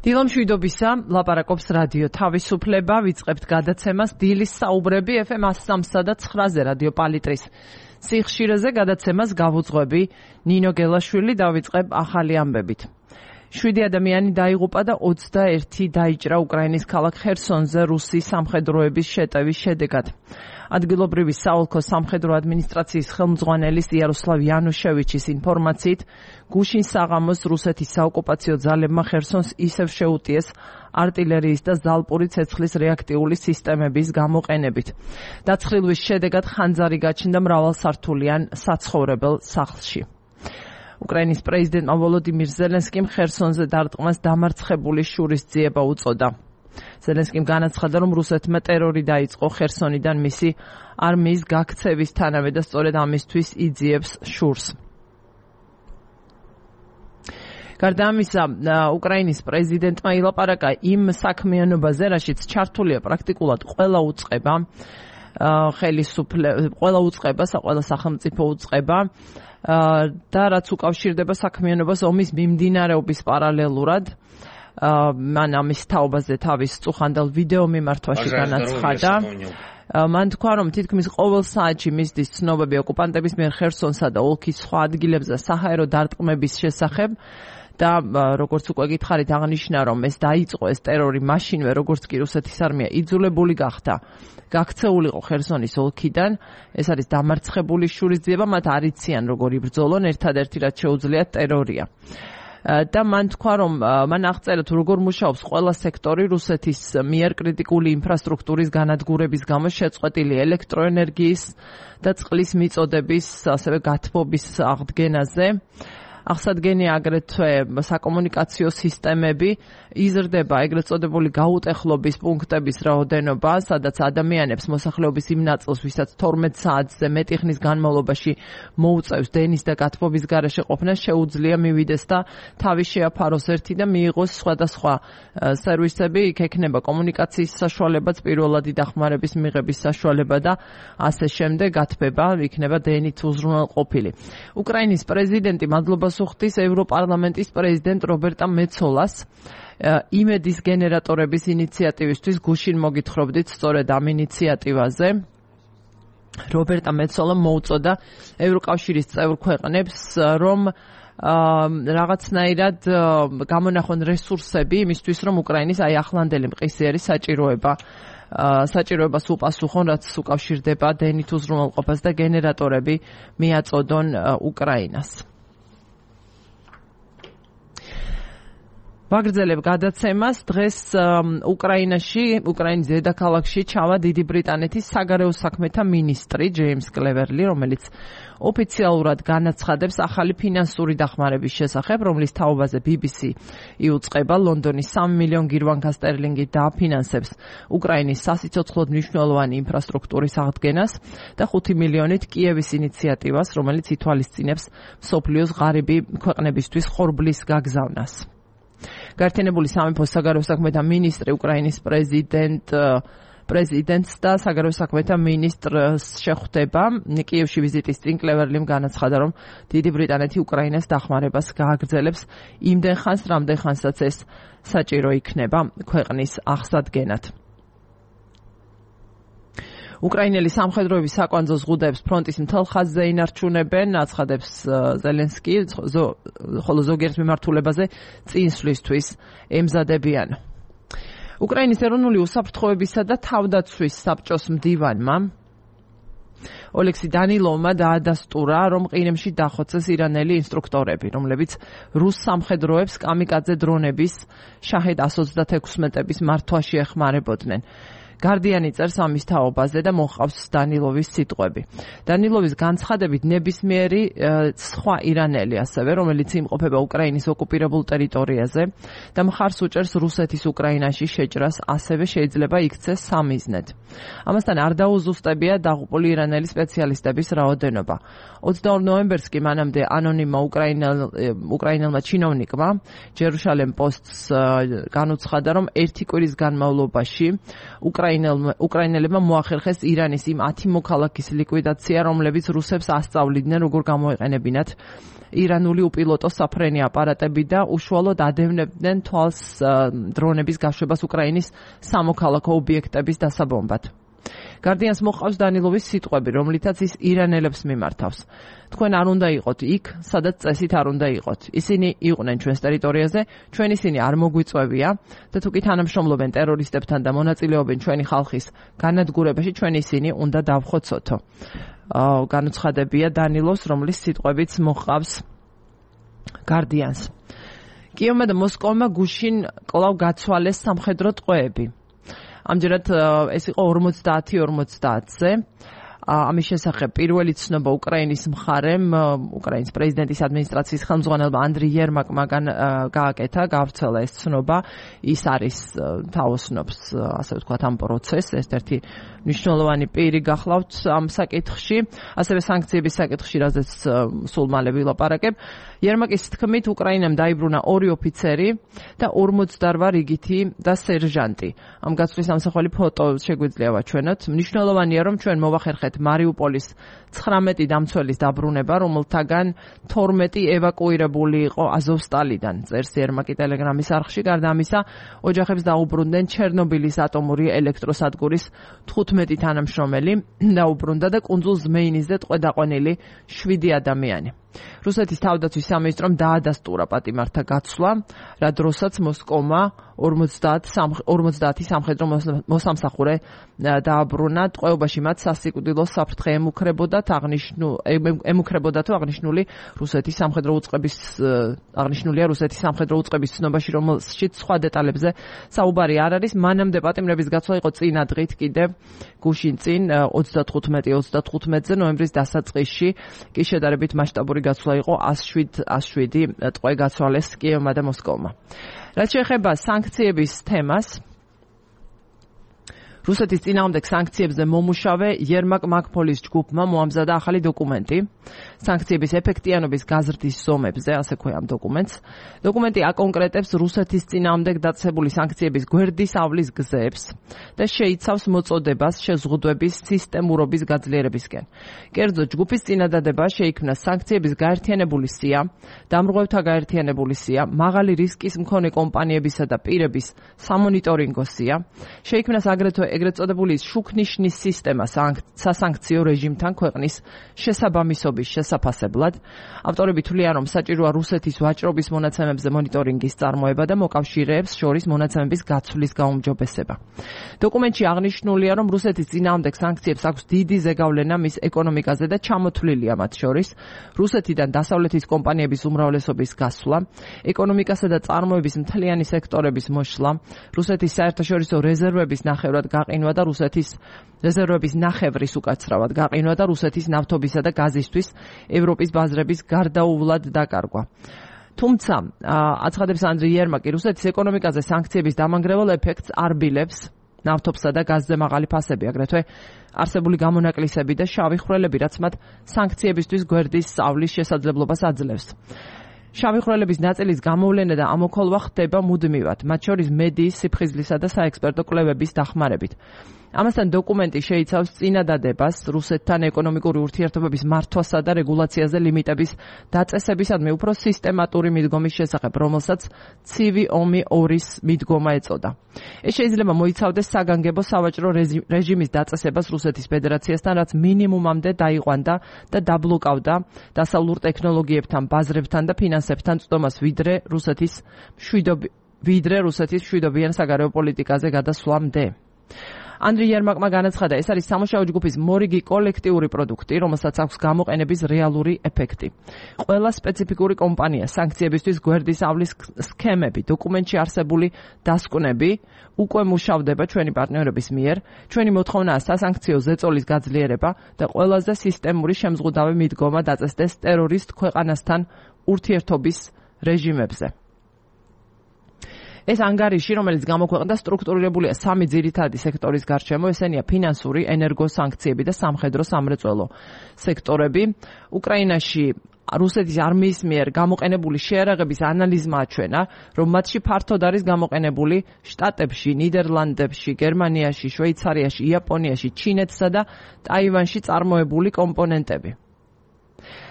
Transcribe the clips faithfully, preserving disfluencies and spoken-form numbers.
დილომშვიდობისა, ლაპარაკობს რადიო თავისუფლება, ვიწყებთ გადაცემას დილის საუბრები ეფ ემ one oh three და nine-ზე რადიო პალიტრის სიხშირეზე გადაცემას გავუძღვები ნინო გელაშვილი და ვიწყებ ახალი ამბებით. შვიდი ადამიანი დაიღუპა და ოცდაერთი დაიჭრა უკრაინის ქალაქ ხერსონზე რუსი სამხედროების შეტევის შედეგად. ადგილობრივი საოლქო სამხედრო ადმინისტრაციის ხელმძღვანელის იაროსლავ იანუშევიჩის ინფორმაციით, გუშინ საღამოს რუსეთის საოკუპაციო ძალებმა ხერსონს ისევ შეუტიეს არტილერიის და ზალპური ცეცხლის რეაქტიული სისტემების გამოყენებით. დაცხრილვის შედეგად ხანძარი გაჩნდა მრავალსართულიან საცხოვრებელ სახლში. უკრაინის პრეზიდენტმა ვოლოდიმირ ზელენსკიმ ხერსონზე დარტყმას დამარცხებული შურისძიება უწოდა. ზელენსკიმ განაცხადა, რომ რუსეთმა ტერორი დაიწყო ხერსონიდან მისი არმიის გაქცევისთანავე და სწორედ ამისთვის იძიებს შურს. გარდა ამისა, უკრაინის პრეზიდენტმა ილაპარაკა იმ საქმიანობაზე, რაშიც ჩართულია პრაქტიკულად ყველა უწყება, ხელისუფლება, ყველა უწყება, ყველა სახელმწიფო უწყება და რაც უკავშირდება საქმიანობას ომის მიმდინარეობის პარალელურად. მან ამის თაობაზე თავის წუხანდელ ვიდეო მიმართვაში განაცხადა. მან თქვა, რომ თითქმის ყოველ საათში მისდის ცნობები ოკუპანტების მიერ ხერსონსა და ოლქის სხვა ადგილებზე საჰაერო დარტყმების შესახებ და როგორც უკვე გითხარით, აღნიშნა, რომ ეს დაიწყო ეს ტერორი მაშინვე, როგორც კი რუსეთის არმია იძულებული გახდა გაქცეულიყო ხერსონის ოლქიდან. ეს არის დამარცხებული შურისძიება, მათ არ იციან როგორ იბრძოლონ, ერთადერთი რაც შეუძლიათ ტერორია. და მან თქვა, რომ მან აღწერა თუ როგორ მუშაობს ყველა სექტორი რუსეთის მიერ კრიტიკული ინფრასტრუქტურის განადგურების გამო შეწყვეტილი ელექტროენერგიის და წყლის მიწოდების, ასევე გათბობის აღდგენაზე. აღსადგენია აგრეთვე საკომუნიკაციო სისტემები, იზრდება ეგრეთ წოდებული გაუტეხლობის პუნქტების რაოდენობა, სადაც ადამიანებს მოსახლეობის იმ ნაწილს, ვისაც თორმეტ საათზე მეტი ხნის განმავლობაში მოუწევს დენის და გათბობის გარეშე ყოფნა, შეუძლია მივიდეს და თავი შეაფაროს ერთი და მიიღოს სხვადასხვა სერვისები, იქ ექნება კომუნიკაციის საშუალებაც, პირველადი დახმარების მიღების საშუალება და ასე შემდეგ, გათბება იქნება დენით უზრუნველყოფილი. უკრაინის პრეზიდენტი მადლობას უხდის ევროპარლამენტის პრეზიდენტ რობერტა მეცოლას იმედის გენერატორების ინიციატივისთვის. გუშინ მოგითხრობდით სწორედ ამ ინიციატივაზე. რობერტა მეცოლა მოუწოდა ევროკავშირის წევრ ქვეყნებს, რომ რაღაცნაირად გამონახონ რესურსები იმისთვის, რომ უკრაინის აი ახლანდელი მყისიერი საჭიროება საჭიროებას უპასუხონ, რაც უკავშირდება დენით უზრუნველყოფას და გენერატორები მიაწოდონ უკრაინას. ვაგრძელებ გადაცემას. დღეს უკრაინაში, უკრაინის დედაქალაქში ჩავა დიდი ბრიტანეთის საგარეო საქმეთა მინისტრი ჯეიმს კლევერლი, რომელიც ოფიციალურად განაცხადებს ახალი ფინანსური დახმარების შესახებ, რომლის თაობაზე ბი ბი სი იუწყება. ლონდონის სამი მილიონი გირვანკა სტერლინგით დააფინანსებს უკრაინის სასიცოცხლოდ მნიშვნელოვანი ინფრასტრუქტურის აღდგენას და ხუთი მილიონით კიევის ინიციატივას, რომელიც ითვალისწინებს მსოფლიოს ღარიბი ქვეყნებისთვის ხორბლის გაგზავნას. გაერთიანებული სამეფოს საგარეო საქმეთა მინისტრი უკრაინის პრეზიდენტ პრეზიდენტს და საგარეო საქმეთა მინისტრს შეხვდება. კიევში ვიზიტის წინ კლევერლიმ განაცხადა, რომ დიდი ბრიტანეთი უკრაინას დახმარებას გააგრძელებს იმდენ ხანს, რამდენ ხანსაც ეს საჭირო იქნება ქვეყნის აღსადგენად. უკრაინელი სამხედროების საკვანძო ზღუდეებს ფრონტის მთელ ხაზზე ინარჩუნებენ, აცხადებს ზელენსკი, ხოლო ზოგიერთ მიმართულებაზე წინსვლისთვის ემზადებიან. უკრაინის ეროვნული უსაფრთხოებისა და თავდაცვის საბჭოს მდივანმა ოლექსი დანილოვმა დაადასტურა, რომ ყირიმში დახოცეს ირანელი ინსტრუქტორები, რომლებიც რუს სამხედროებს კამიკაძე დრონების შაჰედ one twenty-six-ების მართვაში ეხმარებოდნენ. გარდიანი წერს ამის თაობაზე და მოჰყავს დანილოვის სიტყვები. დანილოვის განცხადებით ნებისმიერი სხვა ირანელი ასევე, რომელიც იმყოფება უკრაინის ოკუპირებულ ტერიტორიაზე და მხარს უჭერს რუსეთის უკრაინაში შეჭრას, ასევე შეიძლება იქცეს სამიზნედ. ამასთან არ დაუზუსტებია დაღუპული ირანელი სპეციალისტების რაოდენობა. ოცდაორ ნოემბერს კი მანამდე ანონიმმა უკრაინელმა ჩინოვნიკმა ჯერუშალემ პოსტს განუცხადა, რომ ერთი კვირის განმავლობაში უკრაინელებმა მოახერხეს ირანის იმ ათი მოქალაქის ლიკვიდაცია, რომლებიც რუსებს ასწავლიდნენ, როგორ გამოეყენებინათ ირანული უპილოტო საფრენი აპარატები და უშუალოდ ადევნებდნენ თვალს დრონების გაშვებას უკრაინის სამოქალაქო ობიექტების დასაბომბად. Guardians მოყავს დანილოვის სიტყვები, რომლითაც ის ირანელებს მიმართავს. თქვენ არ უნდა იყოთ იქ, სადაც წესით არ უნდა იყოთ. ისინი იყვნენ ჩვენს ტერიტორიაზე, ჩვენ ისინი არ მოგვიწევია და თუ კი თანამშრომლობენ ტერორისტებთან და მონაწილეობენ ჩვენი ხალხის განადგურებაში, ჩვენ ისინი უნდა დავხოცოთო. განუცხადებია დანილოს, რომლის სიტყვებიც მოყავს Guardians. კიევმა და მოსკოვმა გუშინ კვლავ გაცვალეს სამხედრო ტყვეები. ამჯერად ეს იყო ორმოცდაათი ორმოცდაათზე. ამის შესახებ პირველი ცნობა უკრაინის მხარემ, უკრაინის პრეზიდენტის ადმინისტრაციის ხელმძღვანელმა ანდრი ერმაკმა გააკეთა, გაავრცელა ეს ცნობა. ის არის თაოსნობს, ასე ვთქვათ, ამ პროცესს, ერთ-ერთი მნიშვნელოვანი პირი გახლავთ ამ საკითხში, ასევე სანქციების საკითხში, რაზეც სულ მალე ვილაპარაკებ. ერმაკის თქმით, უკრაინამ დაიბრუნა ორი ოფიცერი და ორმოცდაორი რიგითი და სერჟანტი. ამ გაცვლის ამსახველი ფოტო შეგვიძლია ვაჩვენოთ. მნიშვნელოვანია, რომ ჩვენ მოვახერხეთ მარიუპოლის ცხრამეტი დამცველის დაბრუნება, რომელთაგან თორმეტი ევაკუირებული იყო აზოვსტალიდან. წერს ერმაკი ტელეგრამის არხში. გარდა ამისა, ოჯახებს დაუბრუნდნენ ჩერნობილის ატომური ელექტროსადგურის თხუთმეტი თანამშრომელი დაუბრუნდა და კუნძულ ზმეინისზე ტყვე დაყვანილი შვიდი ადამიანი. რუსეთის თავდაცვის სამინისტრომ დაადასტურა პატიმართა გაცვლა, რა დროსაც მოსკოვმა ორმოცდაათი სამხედრო მოსამსახურე დააბრუნა. ტყვეობაში მათ სასიკვდილო საფრთხე ემუქრებოდათ, ემუქრებოდათ აღნიშნული რუსეთის სამხედრო უწყების აღნიშნულია რუსეთის სამხედრო უწყების ცნობაში, რომელშიც სხვა დეტალებზე საუბარი არ არის. მანამდე პატიმრების გაცვლა იყო წინა დღით კიდევ გუშინ წინ ოცდათხუთმეტი ოცდათხუთმეტზე ნოემბრის დასაწყისში კი შედარებით მასშტაბური გაცვლა იყო ას შვიდი ტყვე გაცვალეს კიევმა და მოსკოვმა. რაც შეეხება სანქციების თემას, რუსეთის წინააღმდეგ სანქციებზე მომუშავე ერმაკ მაკფოლის ჯგუფმა მოამზადა ახალი დოკუმენტი სანქციების ეფექტიანობის გაზრდის ზომებზე, ასე ქვია ამ დოკუმენტს. დოკუმენტი აკონკრეტებს რუსეთის წინააღმდეგ დაწესებული სანქციების გვერდის ავლის გზებს და შეიცავს მოწოდებას შეზღუდვების სისტემურობის გაძლიერებისკენ. კერძოდ, ჯგუფის წინადადება შეიქმნა სანქციების გაერთიანებული სია, დამრღვევთა გაერთიანებული სია, მაღალი რისკის მქონე კომპანიებისა და პირების სამონიტორინგო სია, შეიქმნას აგრეთვე ეგრეთ წოდებული შუქნიშნის სისტემა სასანქციო რეჟიმთან ქვეყნის შესაბამისობის შესაფასებლად. ავტორები თვლიან, რომ საჭიროა რუსეთის ვაჭრობის მონაცემებზე მონიტორინგის წარმოება და მოკავშირეებს შორის მონაცემების გაცვლის გაუმჯობესება. დოკუმენტში აღნიშნულია, რომ რუსეთის წინააღმდეგ სანქციებს აქვს დიდი ზეგავლენა მის ეკონომიკაზე და ჩამოთვლილია მათ შორის რუსეთიდან დასავლეთის კომპანიების უმრავლესობის გასვლა, ეკონომიკასა და წარმოების მთლიანი სექტორების მოშლა, რუსეთის საერთაშორისო რეზერვების ნახევრად გაყინვა და რუსეთის რეზერვების ნახევრის უკაცრავად გაყინვა და რუსეთის ნავთობისა და გაზისთვის ევროპის ბაზრების გარდაუვლად დაკარგვა. თუმცა, აცხადებს ანდრი ერმაკი, რუსეთის ეკონომიკაზე სანქციების დამანგრეველ ეფექტს არ ბილებს ნავთობსა და გაზზე მაღალი ფასები, აგრეთვე არსებული გამონაკლისები და შავი ხვრელები, რაც მათ სანქციებისთვის გვერდის სწავლის შესაძლებლობას აძლევს. შავი ხვრელების ნაწილის გამოვლენა და ამოქოლვა ხდება მუდმივად, მათ შორის მედიის, სიფხიზლისა და საექსპერტო კვლევების დახმარებით. ამასთან დოკუმენტი შეიცავს წინადადებას რუსეთთან ეკონომიკური ურთიერთობების მართვასა და რეგულაციაზე ლიმიტების დაწესებისადმი უფრო სისტემატური მიდგომის შესახებ, რომელსაც ცივი ომი ორის მიდგომა ეწოდა. ეს შეიძლება მოიცავდეს საგანგებო სავაჭრო რეჟიმის დაწესებას რუსეთის ფედერაციასთან, რაც მინიმუმამდე დაიყვანდა და დაბლოკავდა დასავლურ ტექნოლოგიებთან, ბაზრებთან და ფინანსებთან წვდომას, ვიდრე რუსეთის ვიდრე რუსეთის მშვიდობიან საგარეო პოლიტიკაზე გადასვლამდე. ანდრი ერმაკმა განაცხადა, ეს არის სამუშაო ჯგუფის მორიგი კოლექტიური პროდუქტი, რომელსაც აქვს გამოყენების რეალური ეფექტი. ყველა სპეციფიკური კომპანია, სანქციებისთვის გვერდის ავლის სქემები, დოკუმენტში არსებული დასკვნები უკვე მუშავდება ჩვენი პარტნიორების მიერ. ჩვენი მოთხოვნაა სასანქციო ზეწოლის გაძლიერება და ყველაზე სისტემური შემზღუდავი მიდგომა დაწესდეს ტერორისტ ქვეყანასთან ურთიერთობის რეჟიმებზე. ეს ანგარიში, რომელიც გამოქვეყნდა, სტრუქტურირებულია სამი ძირითადი სექტორის გარშემო, ესენია ფინანსური, ენერგოსანქციები და სამხედრო სამრეწველო სექტორები. უკრაინაში რუსეთის არმიის მიერ გამოყენებული შეარაღების ანალიზმა აჩვენა, რომ მათში ფართოდ არის გამოყენებული შტატებში, ნიდერლანდებში, გერმანიაში, შვეიცარიაში, იაპონიაში, ჩინეთსა და ტაივანში წარმოებული კომპონენტები.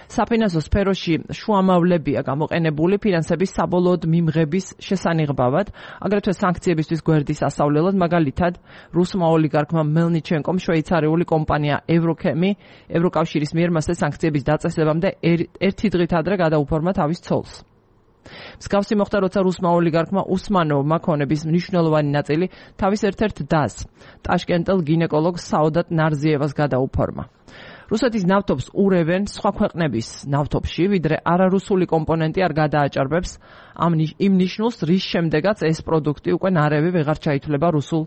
საფინანსო სფეროში შუამავლებია გამოყენებული ფინანსების საბოლოოდ მიმღების შესანიღბავად, აგრეთვე სანქციებისთვის გვერდის ასავლელად, მაგალითად, რუსმა ოლიგარქმა მელნიჩენკომ შვეიცარიული კომპანია ევროქემი ევროკავშირის მიერ მასზე სანქციების დაწესებამდე ერთი დღით ადრე გადაუფორმა თავის ცოლს. მსგავსი მოხდა, როცა რუსმა ოლიგარქმა უსმანოვმა ქონების მნიშვნელოვანი ნაწილი თავის ერთ-ერთ დას, ტაშკენტელ გინეკოლოგ საოდატ ნარზიევას გადაუფორმა. რუსეთის ნავთობს ურევენ სხვა ქვეყნების ნავთობში, ვიდრე არარუსული კომპონენტი არ გადააჭარბებს ამ იმ ნიშნულს, რის შემდეგაც ეს პროდუქტი უკვე ნარევი ვეღარ ჩაითვლება რუსულ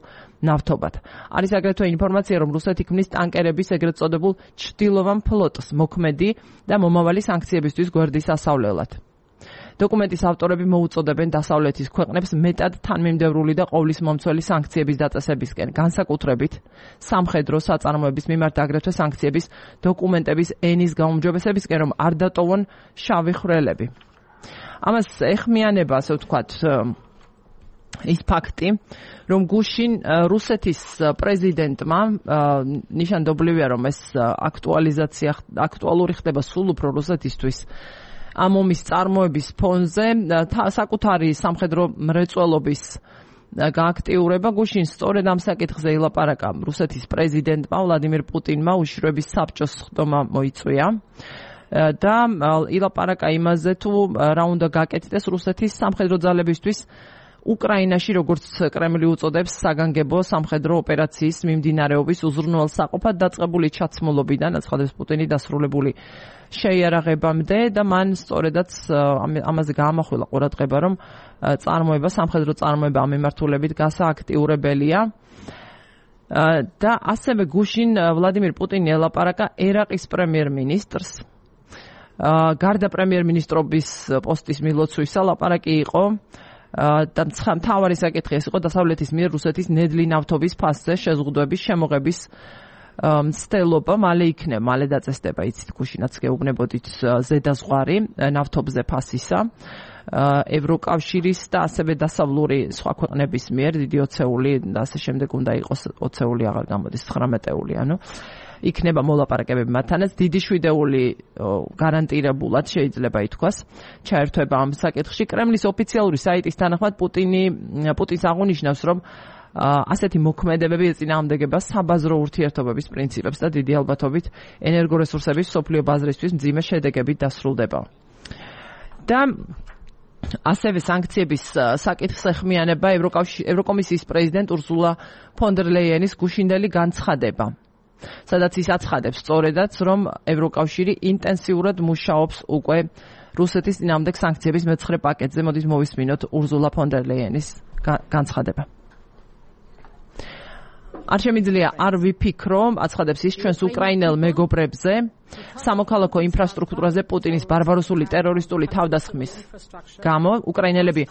ნავთობად. არის აგრეთვე ინფორმაცია, რომ რუსეთი ქმნის ტანკერების ეგრეთ წოდებულ ჩრდილოვან ფლოტს მოქმედი და მომავალი სანქციებისთვის გვერდის ასავლელად. დოკუმენტის ავტორები მოუწოდებენ დასავლეთის ქვეყნებს მეტად თანმიმდევრული და ყოვლისმომცველი სანქციების დაწესებისკენ, განსაკუთრებით სამხედრო საწარმოების მიმართ, აგრეთვე სანქციების დოკუმენტების ენის გაუმჯობესებისკენ, რომ არ დატოვონ შავი ხვრელები. ამას ეხმიანება, ასე ვთქვათ, ის ფაქტი, რომ გუშინ რუსეთის პრეზიდენტმა ნიშანდობლივია, რომ ეს აქტუალიზაცია აქტუალური ხდება სულ უფრო რუსეთისთვის ამ ომის წარმოების ფონზე, საკუთარი სამხედრო მრეწველობის გააქტიურება გუშინ სწორედ ამ საკითხზე ილაპარაკა რუსეთის პრეზიდენტმა ვლადიმირ პუტინმა, უშიშროების საბჭოს ხდომა მოიწვია და ილაპარაკა იმაზე, თუ რა უნდა გაკეთდეს რუსეთის სამხედრო ძალებისთვის უკრაინაში, როგორც კრემლი უწოდებს, საგანგებო სამხედრო ოპერაციის მიმდინარეობის უზრუნველსაყოფად დაწყებული ჩაცმულობიდან, აცხადებს პუტინი, დასრულებული შეიარაღებამდე და მან სწორედაც ამაზე გაამახვილა ყურადღება, რომ წარმოება, სამხედრო წარმოება ამ მიმართულებით გასააქტიურებელია. და ასევე გუშინ ვლადიმირ პუტინი ელაპარაკა ერაყის პრემიერ-მინისტრს. გარდა პრემიერ-მინისტრობის პოსტის მილოცვისა, ლაპარაკი იყო და მთავარი საკითხი ეს იყო დასავლეთის მიერ რუსეთის ნედლი ნავთობის ფასზე შეზღუდვების შემოღების მცდელობა მალე იქნება, მალე დაწესდება, იცით, გუშინაც გეუბნებოდით ზედაზღვარი ნავთობზე ფასისა ევროკავშირის და ასევე დასავლური სხვა ქვეყნების მიერ დიდი ოცეული და ასე შემდეგ უნდა იყოს ოცეული აღარ გამოდის ცხრამეტეული, ანუ იქნება მოლაპარაკებები მათთანაც, დიდი შვიდეული გარანტირებულად შეიძლება ითქვას ჩაერთვება ამ საკითხში. კრემლის ოფიციალური საიტის თანახმად პუტინი პუტინს აღნიშნავს, რომ ასეთი მოქმედებები ეწინააღმდეგება საბაზრო ურთიერთობების პრინციპებს და დიდი ალბათობით ენერგორესურსების მსოფლიო ბაზრისთვის მძიმე შედეგებით დასრულდება. და ასევე სანქციების საკითხს ეხმიანება ევროკომისიის პრეზიდენტ ურსულა ფონ დერ ლეიენის გუშინდელი განცხადება, სადაც ის აცხადებს სწორედაც, რომ ევროკავშირი ინტენსიურად მუშაობს უკვე რუსეთის წინააღმდეგ სანქციების მეცხრე პაკეტზე. მოდის მოვისმინოთ ურსულა ფონ დერ ლეიენის განცხადება. არ შემიძლია არ ვიფიქრო, აცხადებს ის, ჩვენს უკრაინელ მეგობრებზე, სამოქალაქო ინფრასტრუქტურაზე პუტინის ბარბაროსული ტერორისტული თავდასხმის გამო უკრაინელები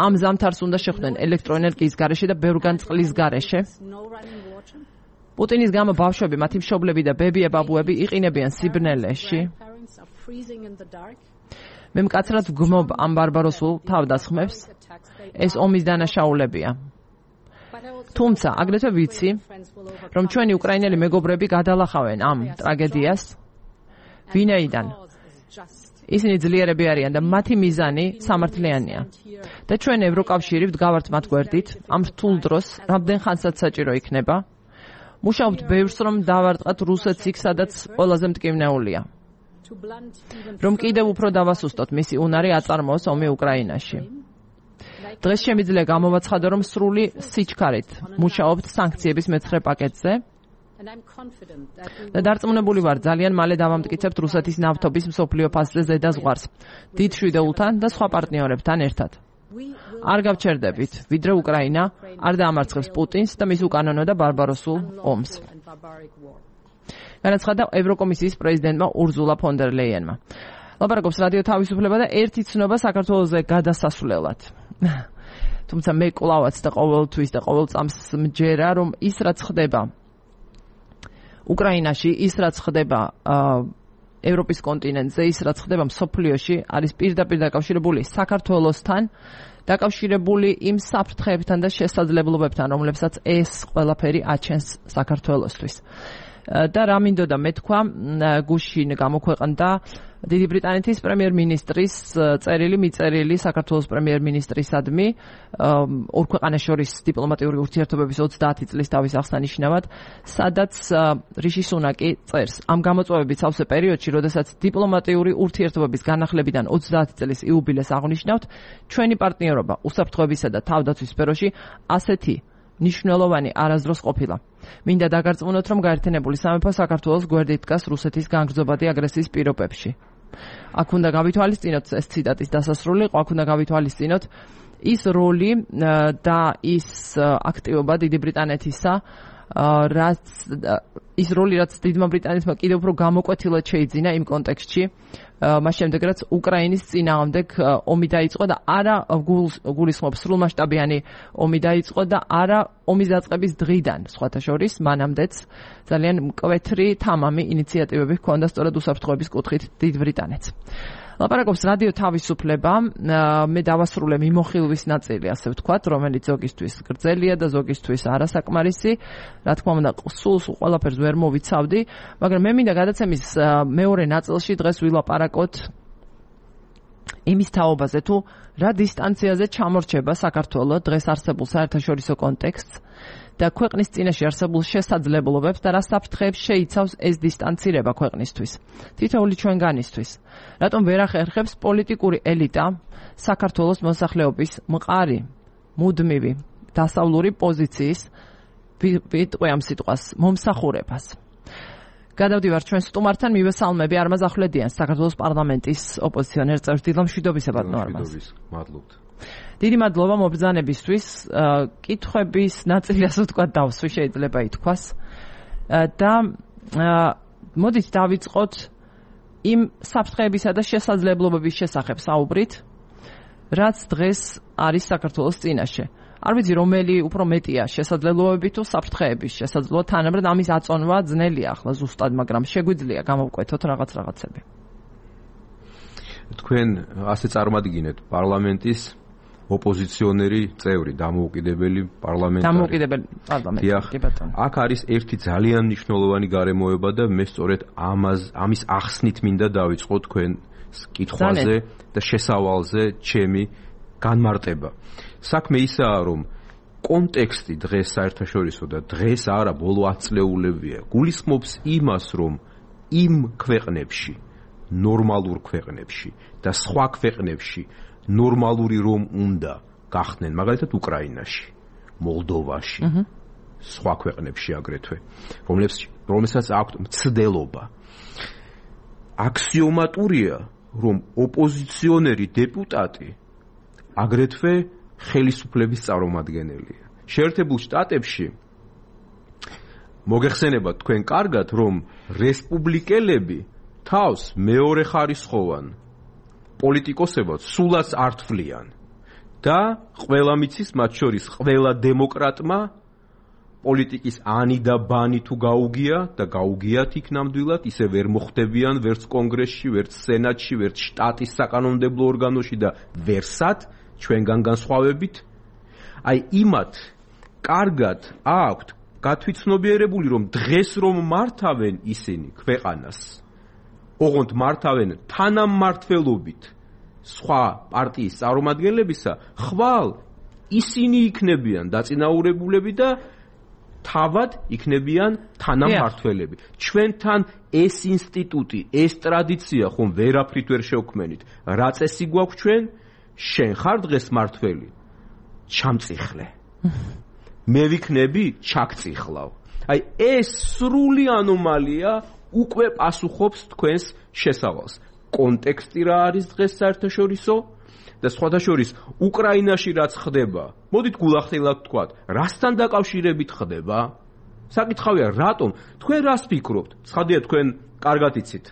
ამ ზამთარს უნდა შეხვდნენ ელექტროენერგიის გარეშე და ბევრგან წყლის გარეშე. პუტინის გამო ბავშვები, მათი მშობლები და ბებია-ბაბუები იყინებიან სიბნელეში. მე მკაცრად ვგმობ ამ ბარბაროსულ თავდასხმებს, ეს ომის დანაშაულებია. თუმცა, აგრეთვე ვიცი, რომ ჩვენი უკრაინელი მეგობრები გადალახავენ ამ ტრაგედიას, ვინაიდან ისინი ძლიერები არიან და მათი მიზანი სამართლიანია. და ჩვენ ევროკავშირი ვდგავართ მათ გვერდით, ამ რთულ დროს, რამდენ ხანსაც საჭირო იქნება, მუშაობთ ბევრს, რომ დავარტყათ რუსეთს იქ, სადაც ყველაზე მტკივნეულია. რომ კიდევ უფრო დავასუსტოთ მისი უნარი აწარმოოს ომი უკრაინაში. დღეს შემიძლია გამოვაცხადო, რომ სრული სიჩქარით მუშაობთ სანქციების მეცხრე პაკეტზე და დარწმუნებული ვარ, ძალიან მალე დავამტკიცებთ რუსეთის ნავთობის მსოფლიო ფასზე ზედაზღვარს დიდ შვიდეულთან და სხვა პარტნიორებთან ერთად. არ გავჩერდებით, ვიდრე უკრაინა არ დაამარცხებს პუტინს და მის უკანონო და ბარბაროსულ ომს. განაცხადა ევროკომისიის პრეზიდენტმა ურსულა ფონ დერ ლეიენმა. ლაპარაკობს რადიო თავისუფლება და ერთი ცნობა საქართველოზე გადასასვლელად. თუმცა მე კლავაც და ყოველთვის და ყოველ წამს მჯერა, რომ ის რაც ხდება უკრაინაში, ის რაც ხდება ევროპის კონტინენტზე, ის რაც ხდება მსოფლიოში, არის პირდაპირ დაკავშირებული საქართველოსთან, დაკავშირებული იმ საფრთხეებთან და შესაძლებლობებთან, რომლებსაც ეს ყველაფერი აჩენს საქართველოსთვის. და რა მინდოდა მე თქვა, გუშინ გამოქვეყნდა დიდი ბრიტანეთის პრემიერ-მინისტრის წერილი მიწერილი საქართველოს პრემიერ-მინისტრისადმი ორ ქვეყანას შორის დიპლომატიური ურთიერთობების ოცდაათი წლის დავის აღსანიშნავად, სადაც რიში სუნაკი წერს ამ გამოწვევების სავსე პერიოდში, როდესაც დიპლომატიური ურთიერთობების განახლებიდან ოცდაათი წლის იუბილეს აღნიშნავთ, ჩვენი პარტნიორობა უსაფრთხოებისა და თავდაცვის სფეროში ასეთი ნიშნულოვანი არასდროს ყოფილა. მინდა დაგარწმუნოთ, რომ გაერთიანებული სამეფო საქართველოს გვერდით დგას რუსეთის განგრძობადი აგრესიის პირობებში. აქ უნდა გავითვალისწინოთ, ეს ციტატის დასასრული იყო, აქ უნდა გავითვალისწინოთ ის როლი და ის აქტივობა დიდი ბრიტანეთისა, რაც ის როლი, რაც დიდმა ბრიტანეთმა კიდევ უფრო გამოკვეთილად შეიძინა იმ კონტექსტში, მას შემდეგ რაც უკრაინის წინააღმდეგ ომი დაიწყო და არა გულისხმობს სრულმასშტაბიანი ომი დაიწყო და არა ომის დაწყების დღიდან, სხვათა შორის, მანამდეც ძალიან მკვეთრი თამამი ინიციატივები ჰქონდა სწორედ უსაფრთხოების კუთხით დიდ ბრიტანეთს. ლაპარაკობს რადიო თავისუფლება, მე დავასრულე მიმოხილვის ნაწილი, ასე ვთქვათ, რომელიც ზოგისთვის გრძელია და ზოგისთვის არასაკმარისი. რა თქმა უნდა, სულ სულ ყველაფერს ვერ მოვიცავდი, მაგრამ მე მინდა გადაცემის მეორე ნაწილში დღეს ვილაპარაკოთ იმის თაობაზე, თუ რა დისტანციაზე ჩამორჩება საქართველო დღეს არსებულ საერთაშორისო კონტექსტს და ქვეყნის წინაშე არსებულ შესაძლებლობებს და რა საფრთხეებს შეიცავს ეს დისტანცირება ქვეყნისთვის, თითოეული ჩვენგანისთვის. რატომ ვერ ახერხებს პოლიტიკური ელიტა საქართველოს მოსახლეობის მყარი, მუდმივი, დასავლური პოზიციის, ვიტყვი ამ სიტყვას, მომსახურებას. გადავდივარ ჩვენ სტუმართან, მივესალმები არმაზ ახვლედიანს, საქართველოს პარლამენტის ოპოზიციონერ წევრს. დილა მშვიდობისა ბატონო არმაზ. მადლობთ. დიდი მადლობა მობრძანებისთვის, კითხვების ნაწილი, ასე ვთქვათ, დავსვი შეიძლება ითქვას. და მოდით დავიწყოთ იმ საფრთხეებისა და შესაძლებლობების შესახებ საუბრით, რაც დღეს არის საქართველოს წინაშე. არ ვიცი, რომელი უფრო მეტია, შესაძლებლობები თუ საფრთხეების შესაძლებლობა, თანაბრად ამის აწონვა ძნელია ახლა ზუსტად, მაგრამ შეგვიძლია გამოვკვეთოთ რაღაც რაღაცები. თქვენ ასე წარმადგინეთ პარლამენტის ოპოზიციონერი წევრი, დამოუკიდებელი პარლამენტარი. დამოუკიდებელი პარლამენტარი, კი ბატონო. აქ არის ერთი ძალიან მნიშვნელოვანი გარემოება და მე სწორედ ამას ამის ახსნით მინდა დავიწყო თქვენ კითხვაზე და შესავალზე ჩემი განმარტება. საქმე ისაა, რომ კონტექსტი დღეს საერთაშორისო და დღეს არა, ბოლო ათ წლეულებია, გულისხმობს იმას, რომ იმ ქვეყნებში, ნორმალურ ქვეყნებში და სხვა ქვეყნებში ნორმალური რომ უნდა გახდნენ, მაგალითად უკრაინაში, მოლდოვაში, სხვა ქვეყნებში აგრეთვე, რომელსაც აქვთ მცდელობა. აქსიომატურია, რომ ოპოზიციონერი დეპუტატი აგრეთვე ხელისუფლების წარმომადგენელია. შეერთებულ შტატებში მოგეხსენებათ თქვენ კარგად, რომ რესპუბლიკელები თავს მეორე ხარისხოვან პოლიტიკოსებად სულაც არ თვლიან და ყველა მიცის, მათ შორის ყველა დემოკრატმა პოლიტიკის ანი და ბანი თუ გაუგია და გაუგიათ იქ ნამდვილად, ისე ვერ მოხდებიან ვერც კონგრესში, ვერც სენატში, ვერც შტატის საკანონმდებლო ორგანოში და ვერსად ჩვენგან განსხვავებით. აი იმათ კარგად აქვთ გათვითცნობიერებული, რომ დღეს რომ მართავენ ისინი ქვეყანას, ოღონდ მართავენ თანამმართველობით სხვა პარტიის წარმომადგენლებისა, ხვალ ისინი იქნებიან დაწინაურებულები და თავად იქნებიან თანამმართველები. ჩვენთან ეს ინსტიტუტი, ეს ტრადიცია ხომ ვერაფრით ვერ შევქმენით. რა წესი გვაქვს ჩვენ? შენ ხარ დღეს მართველი? ჩამწიხლე. მე ვიქნები, ჩაგწიხლავ. აი ეს სრული ანომალია უკვე პასუხობს თქვენს შესავალს. კონტექსტი რა არის დღეს საერთაშორისო და სხვათა შორის უკრაინაში რაც ხდება, მოდით გულახდილად ვთქვათ, რასთან დაკავშირებით ხდება? საკითხავია, რატომ? თქვენ რას ფიქრობთ? ცხადია, თქვენ კარგად იცით.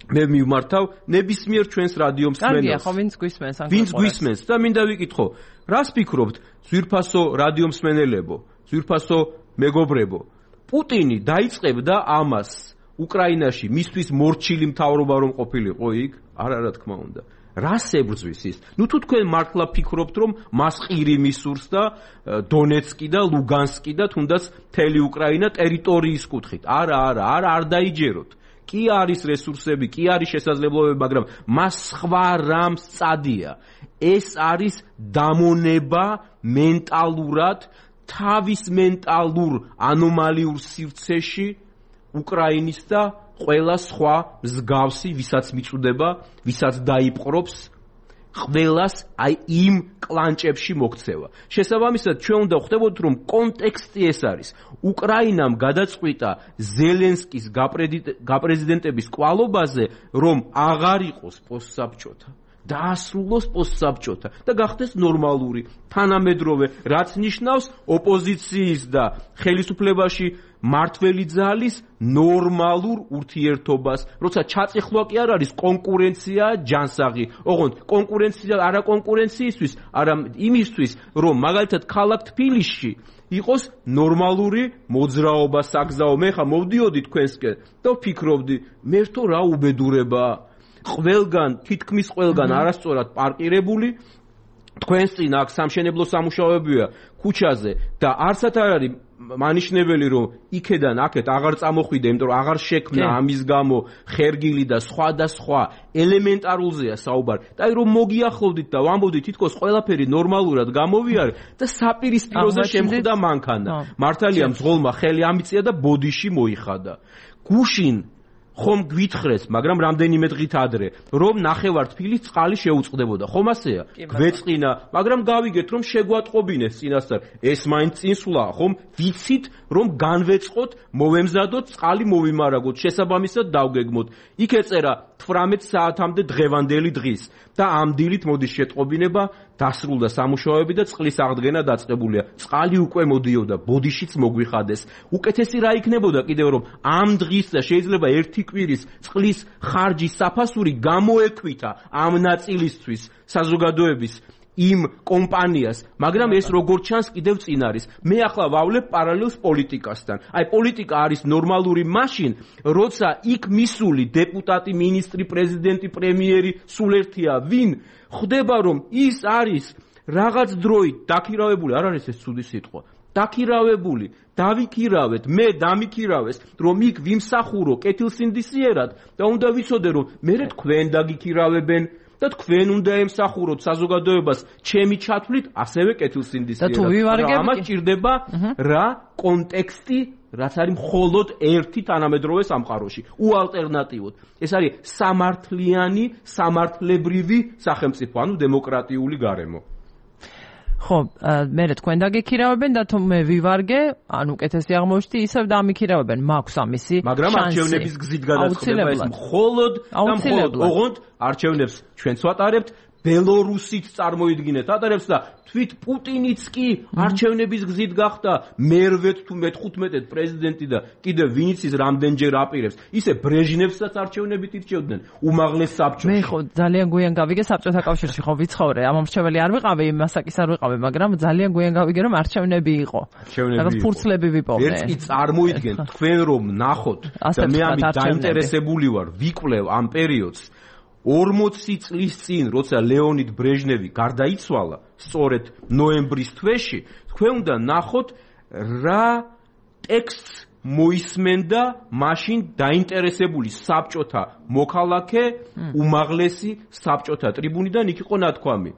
მე მივმართავ ნებისმიერ ჩვენს რადიო მსმენელს. კარგია, ხო, ვინც გვისმენს ან ვინც გვისმენს და მინდა ვიკითხო, რას ფიქრობთ, ძვირფასო რადიო მსმენელებო, ძვირფასო მეგობრებო? პუტინი დაიწყებდა ამას უკრაინაში მისთვის მორჩილი მთავრობა რომ ყოფილიყო იქ? არა, რა თქმა უნდა. რას ებრძვის ის? ნუ თუ თქვენ მართლა ფიქრობთ, რომ მას ყირი მისურს და დონეცკი და ლუგანსკი და თუნდაც მთელი უკრაინა ტერიტორიის კუთხით. არა, არა, არა, არ დაიჯეროთ. კი არის რესურსები, კი არის შესაძლებლობები, მაგრამ მას სხვა რამ სწადია. ეს არის დამონება მენტალურად, თავის მენტალურ ანომალიურ სივრცეში უკრაინის და ყველა სხვა მსგავსი, ვისაც მიწუდება, ვისაც დაიპყრობს, ყველას აი იმ კლანჭებში მოქცევა. შესაბამისად, ჩვენ უნდა ხვდებოდეთ, რომ კონტექსტი ეს არის. უკრაინამ გადაწყვიტა ზელენსკის გაპრეზიდენტების კვალობაზე, რომ აღარ იყოს პოსტსაბჭოთა. დაასრულოს პოსტსაბჭოთა და გახდეს ნორმალური, თანამედროვე, რაც ნიშნავს ოპოზიციის და ხელისუფლებაში მართველი ძალის ნორმალურ ურთიერთობას, როცა ჩაწეხლვა კი არ არის კონკურენცია ჯანსაღი. ოღონდ კონკურენცია არა კონკურენციისთვის, არა იმისთვის, რომ მაგალითად ქალაქ თბილისში იყოს ნორმალური მოძრაობა, საგზაო. მე ხა მოვდიოდი თქვენსკენ და ვფიქრობდი, მე რთო რა უბედურებაა. ყველგან, თითქმის ყველგან არასწორად პარკირებული, თქვენს წინ აქ სამშენებლო სამუშაოებია ქუჩაზე და არცად არ არის მანიშნებელი, რომ იქედან აქეთ აღარ წამოხვიდე, იმიტომ რომ აღარ შექმნა ამის გამო ხერგილი და სხვა და სხვა ელემენტარულზეა საუბარი. და აი რომ მოგიახლოვდით და ვამბობდით, თითქოს ყველაფერი ნორმალურად გამოვიარე და საპირისპიროზე შემხვდა მანქანა. მართალია მძღოლმა ხელი ამიწია და ბოდიში მოიხადა. გუშინ ხომ გვითხრეს, მაგრამ რამდენიმე დღით ადრე, რომ ნახევარტფილის წყალი შეუწყდებოდა. ხომ ასეა? გვეწყინა, მაგრამ გავიგეთ, რომ შეგვატყობინეს წინასწარ. ეს მაინც წინსვლაა, ხომ? ვიცით, რომ განვეწყოთ, მოვემზადოთ, წყალი მოვიმარაგოთ, შესაბამისად დავგეგმოთ. იქ ეწერა თვრამეტ საათამდე დღევანდელი დღის და ამ დილით მოდის შეტყობინება, დასრულდა სამუშაოები და წყლის აღდგენა დაწყებულია. წყალი უკვე მოდიოდა, ბოდიშიც მოგვიხადეს. უკეთესი რა იქნებოდა კიდევ, რომ ამ დღის და შეიძლება ერთი კვირის წყლის ხარჯის საფასური გამოექვითა ამ ნაწილისთვის საზოგადოების იმ კომპანიას, მაგრამ ეს როგორც ჩანს კიდევ წინ არის. მე ახლა ვავლებ პარალელს პოლიტიკასთან. აი პოლიტიკა არის ნორმალური მაშინ, როცა იქ მისული დეპუტატი, მინისტრი, პრეზიდენტი, პრემიერი, სულ ერთია ვინ, ხვდება რომ ის არის რაღაც დროით დაქირავებული, არ არის ეს ცუდი სიტყვა. დაქირავებული, დავიქირავეთ, მე დამიქირავეს, რომ იქ ვიმსახურო კეთილსინდისიერად და უნდა ვიცოდე, რომ მე თქვენ დაგიქირავებენ და თქვენ უნდა ემსახუროთ საზოგადოებას ჩემი ჩათვლით ასევე კეთილსინდისიერად. ამას ჭირდება რა კონტექსტი, რაც არის მხოლოდ ერთი თანამედროვე სამყაროში, უალტერნატივოდ. ეს არის სამართლიანი, სამართლებრივი სახელმწიფო, ანუ დემოკრატიული გარემო. ხო, მე თქვენ დაგიქირავებენ და თუ მე ვივარგე, ანუ უკეთესი აღმოჩნდი, ისევ დამიქირავებენ, მაქვს ამისი შანსი. მაგრამ არჩევნების გზით გადაწყდება ეს მხოლოდ და მხოლოდ, ოღონდ არჩევნებს ჩვენც ვატარებთ, ბელორუსიც წარმოიდგინეთ ატარებს და თვით პუტინიც კი არჩევნების გზით გახდა მერვე თუ მეთერთმეტე პრეზიდენტი და კიდევ ვინც ის რამდენჯერ აპირებს. ისე ბრეჟნევსაც არჩევნებით ირჩევდნენ უმაღლეს საბჭოში. მე ხო ძალიან გვიან გავიგე საბჭოთა კავშირში ხო ვიცხოვრე, ამ ამრჩეველი არ ვიყავი, მასაკის არ ვიყავი, მაგრამ ძალიან გვიან გავიგე რომ არჩევნები იყო. რაღაც ფურცლები ვიპოვე. ერთ კი წარმოიდგენ თქვენ რომ ნახოთ და მე ამით დაინტერესებული ვარ, ვიკვლევ ამ პერიოდს. ორმოცი წლის წინ, როცა ლეონიდ ბრეჟნევი გარდაიცვალა, სწორედ ნოემბრის თვეში, თქვენ უნდა ნახოთ რა ტექსტს მოისმენდა მაშინ დაინტერესებული საბჭოთა მოქალაქე, უმაღლესი საბჭოთა ტრიბუნიდან, იქ იყო ნათქვამი.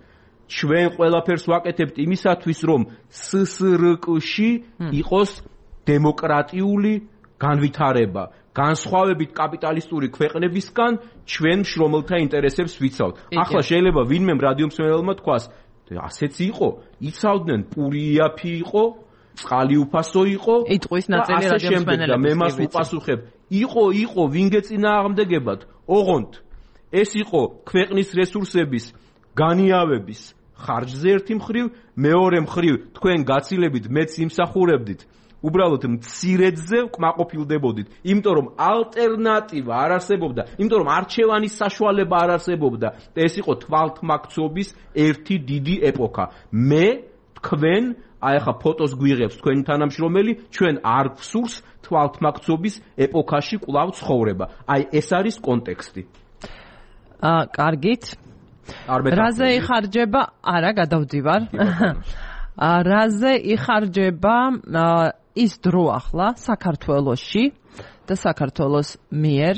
ჩვენ ყველაფერს ვაკეთებთ იმისათვის, რომ სსრკ-ში იყოს დემოკრატიული განვითარება. განსხვავებით კაპიტალისტური ქვეყნებისგან ჩვენ შრომელთა ინტერესებს ვიცავთ. ახლა შეიძლება ვინმე რადიო მსმენელმა თქვას, ასეც იყო, იცავდნენ, პური იაფი იყო, წყალი უფასო იყო, იტყვის ნაწილი რადიო მსმენელების. მე მას უპასუხებ, იყო, იყო, ვინ გეწინააღმდეგებათ? ოღონდ ეს იყო ქვეყნის რესურსების განიავების ხარჯზე ერთი მხრივ, მეორე მხრივ თქვენ გაცილებით მეც იმსახურებდით უბრალოდ მცირედზე კმაყოფილდებოდით, იმიტომ რომ ალტერნატივა არ არსებობდა, იმიტომ რომ არჩევანის საშუალება არ არსებობდა და ეს იყო თვალთმაქცობის ერთი დიდი ეპოქა. მე თქვენ აი ახლა ფოტოს გვიღებს თქვენი თანამშრომელი, ჩვენ არ გვსურს თვალთმაქცობის ეპოქაში კვლავ ცხოვრება. აი ეს არის კონტექსტი. აა, კარგით. რაზე იხარჯება? არა, გადავდივარ. რაზე იხარჯება ის დრო ახლა საქართველოში და საქართველოს მიერ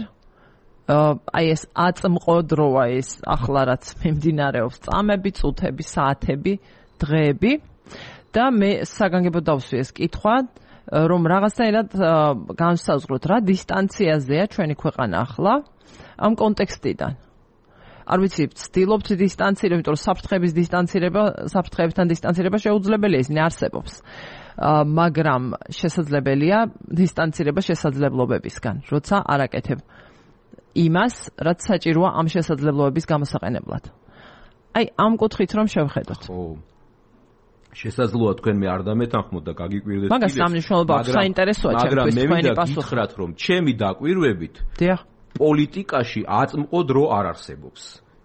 აი ეს აწმყო დროა ეს ახლა რაც მიმდინარეობს წამები, წუთები, საათები, დღეები და მე საგანგებო დავსვი ეს კითხვა რომ რაღაცნაირად განსაზღვროთ რა დისტანციაზეა ჩვენი ქვეყანა ახლა ამ კონტექსტიდან. არ ვიცი, ვცდილობთ დისტანცირება, იმიტომ რომ საფრთხების დისტანცირება, საფრთხებთან დისტანცირება შეუძლებელია, ისინი არსებობს. მაგრამ შესაძლებელია დისტანცირება შესაძლებლობებისგან, როცა არაკეთებ იმას, რაც საჭიროა ამ შესაძლებლობების გამოსაყენებლად. აი, ამ კუთხით რომ შევხედოთ. ხო. შესაძლოა თქვენ მე არ დამეთანხმოთ და გაგიკვირდეთ. მაგას სამნიშნულობა აქვს, საინტერესოა ჩემთვის თქვენი პასუხი. მაგრამ მე მინდა გითხრათ, რომ ჩემი დაკვირვებით, დიახ. პოლიტიკაში აწმყო დრო არ არსებობს.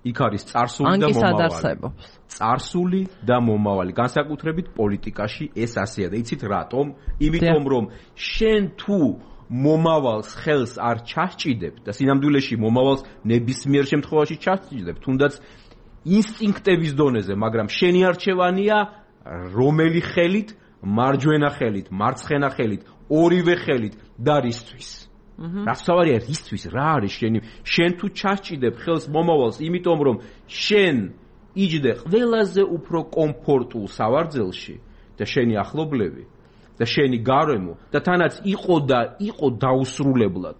იქ არის წარსული და მომავალი. წარსული და მომავალი. განსაკუთრებით პოლიტიკაში ეს ასეა და იცით რატომ? იმიტომ რომ შენ თუ მომავალს ხელს არ ჩასჭიდებ და სინამდვილეში მომავალს ნებისმიერ შემთხვევაში ჩასჭიდებ, თუნდაც ინსტინქტების დონეზე, მაგრამ შენი არჩევანია რომელი ხელით, მარჯვენა ხელით, მარცხენა ხელით, ორივე ხელით და რისთვის. რაც თავარია რისთვის რა არის შენი შენ თუ ჩასჭიდებ ხელს მომავალს იმიტომ რომ შენ იჯდე ყველაზე უფრო კომფორტულ სავარძელში და შენი ახლობლები და შენი გარემო და თანაც იყო და იყო დაუსრულებლად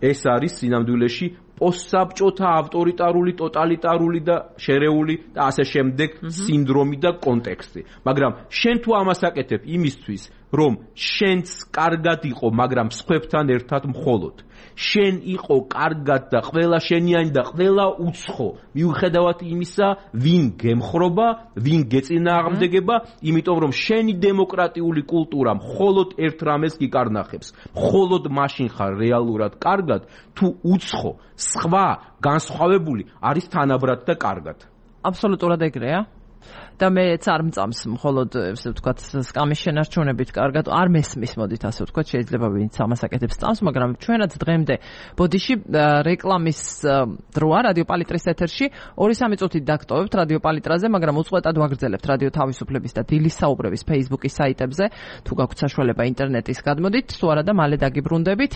ეს არის სინამდვილეში პოსტსაბჭოთა ავტორიტარული ტოტალიტარული და შერეული და ასე შემდეგ სინდრომი და კონტექსტი მაგრამ შენ თუ ამას აკეთებ იმისთვის რომ შენც კარგად იყო, მაგრამ სხვებთან ერთად მხოლოდ. შენ იყო კარგად და ყველა შენიანი და ყველა უცხო. მიუხედავად იმისა, ვინ გემხრობა, ვინ გეწინააღმდეგება, იმიტომ რომ შენი დემოკრატიული კულტურა მხოლოდ ერთ რამეს გიკარნახებს. მხოლოდ მაშინ ხარ რეალურად კარგად, თუ უცხო, სხვა, განსხვავებული არის თანაბრად და კარგად. აბსოლუტურად ეგრეა. და მეც არ მწამს მხოლოდ ესე ვთქვათ სკამის შენარჩუნებით კარგად არ მესმის მოდით ასე ვთქვათ შეიძლება ვინც ამას აკეთებს წამს მაგრამ ჩვენაც დღემდე ბოდიში რეკლამის დროა რადიო პალიტრის ეთერში ორი სამი წუთით დაგტოვებთ რადიო პალიტრაზე მაგრამ უწყვეტად ვაგრძელებთ რადიო თავისუფლების და დილის საუბრების Facebook-ის საიტებზე თუ გაქვთ საშუალება ინტერნეტის გადმოდით თუ არა და მალე დაგიბრუნდებით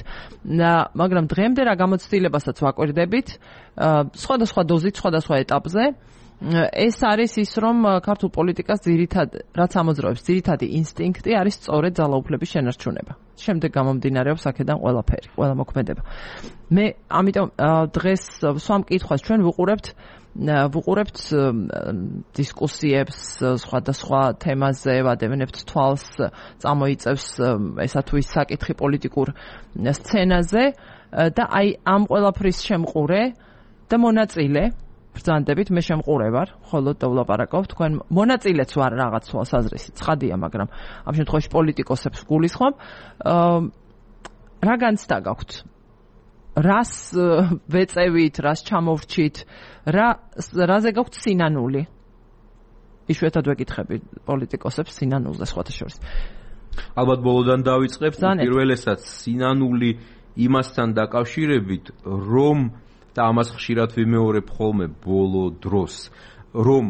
მაგრამ დღემდე რა გამოცდილებასაც ვაკვირდებით სხვადასხვა დოზით სხვადასხვა ეტაპზე ეს არის ის რომ ქართულ პოლიტიკას ძირითად რაც ამოძრავებს ძირითადი ინსტინქტი არის სწორედ ძალაუფლების შენარჩუნება. შემდეგ გამომდინარეობს აქედან ყველაფერი, ყველა მოქმედება. მე ამიტომ დღეს სვამ კითხვას ჩვენ ვუყურებთ ვუყურებთ დისკუსიებს სხვადასხვა თემაზე, ვადევნებთ თვალს, წამოიწევს ესა თუ ის საკითხი პოლიტიკურ სცენაზე და აი ამ ყველაფრის შემყურე და მონაწილე ბრძანდებით მე შემყურე ვარ, ხოლო დავლაპარაკობ თქვენ მონაწილეც ვარ რაღაც თვალს აზრისი, ცხადია, მაგრამ ამ შემთხვევაში პოლიტიკოსებს გულისხმობ. რა განცდა გაქვთ? რას ვეწევით, რას ჩამოვრჩით, რა რაზე გაქვთ სინანული? იშვიათად ვეკითხები პოლიტიკოსებს სინანულზე სხვათა შორის. ალბათ ბოლოდან დავიწყებ, პირველესაც სინანული იმასთან დაკავშირებით, რომ და ამას ხშირად ვიმეორებ ხოლმე ბოლო დროს, რომ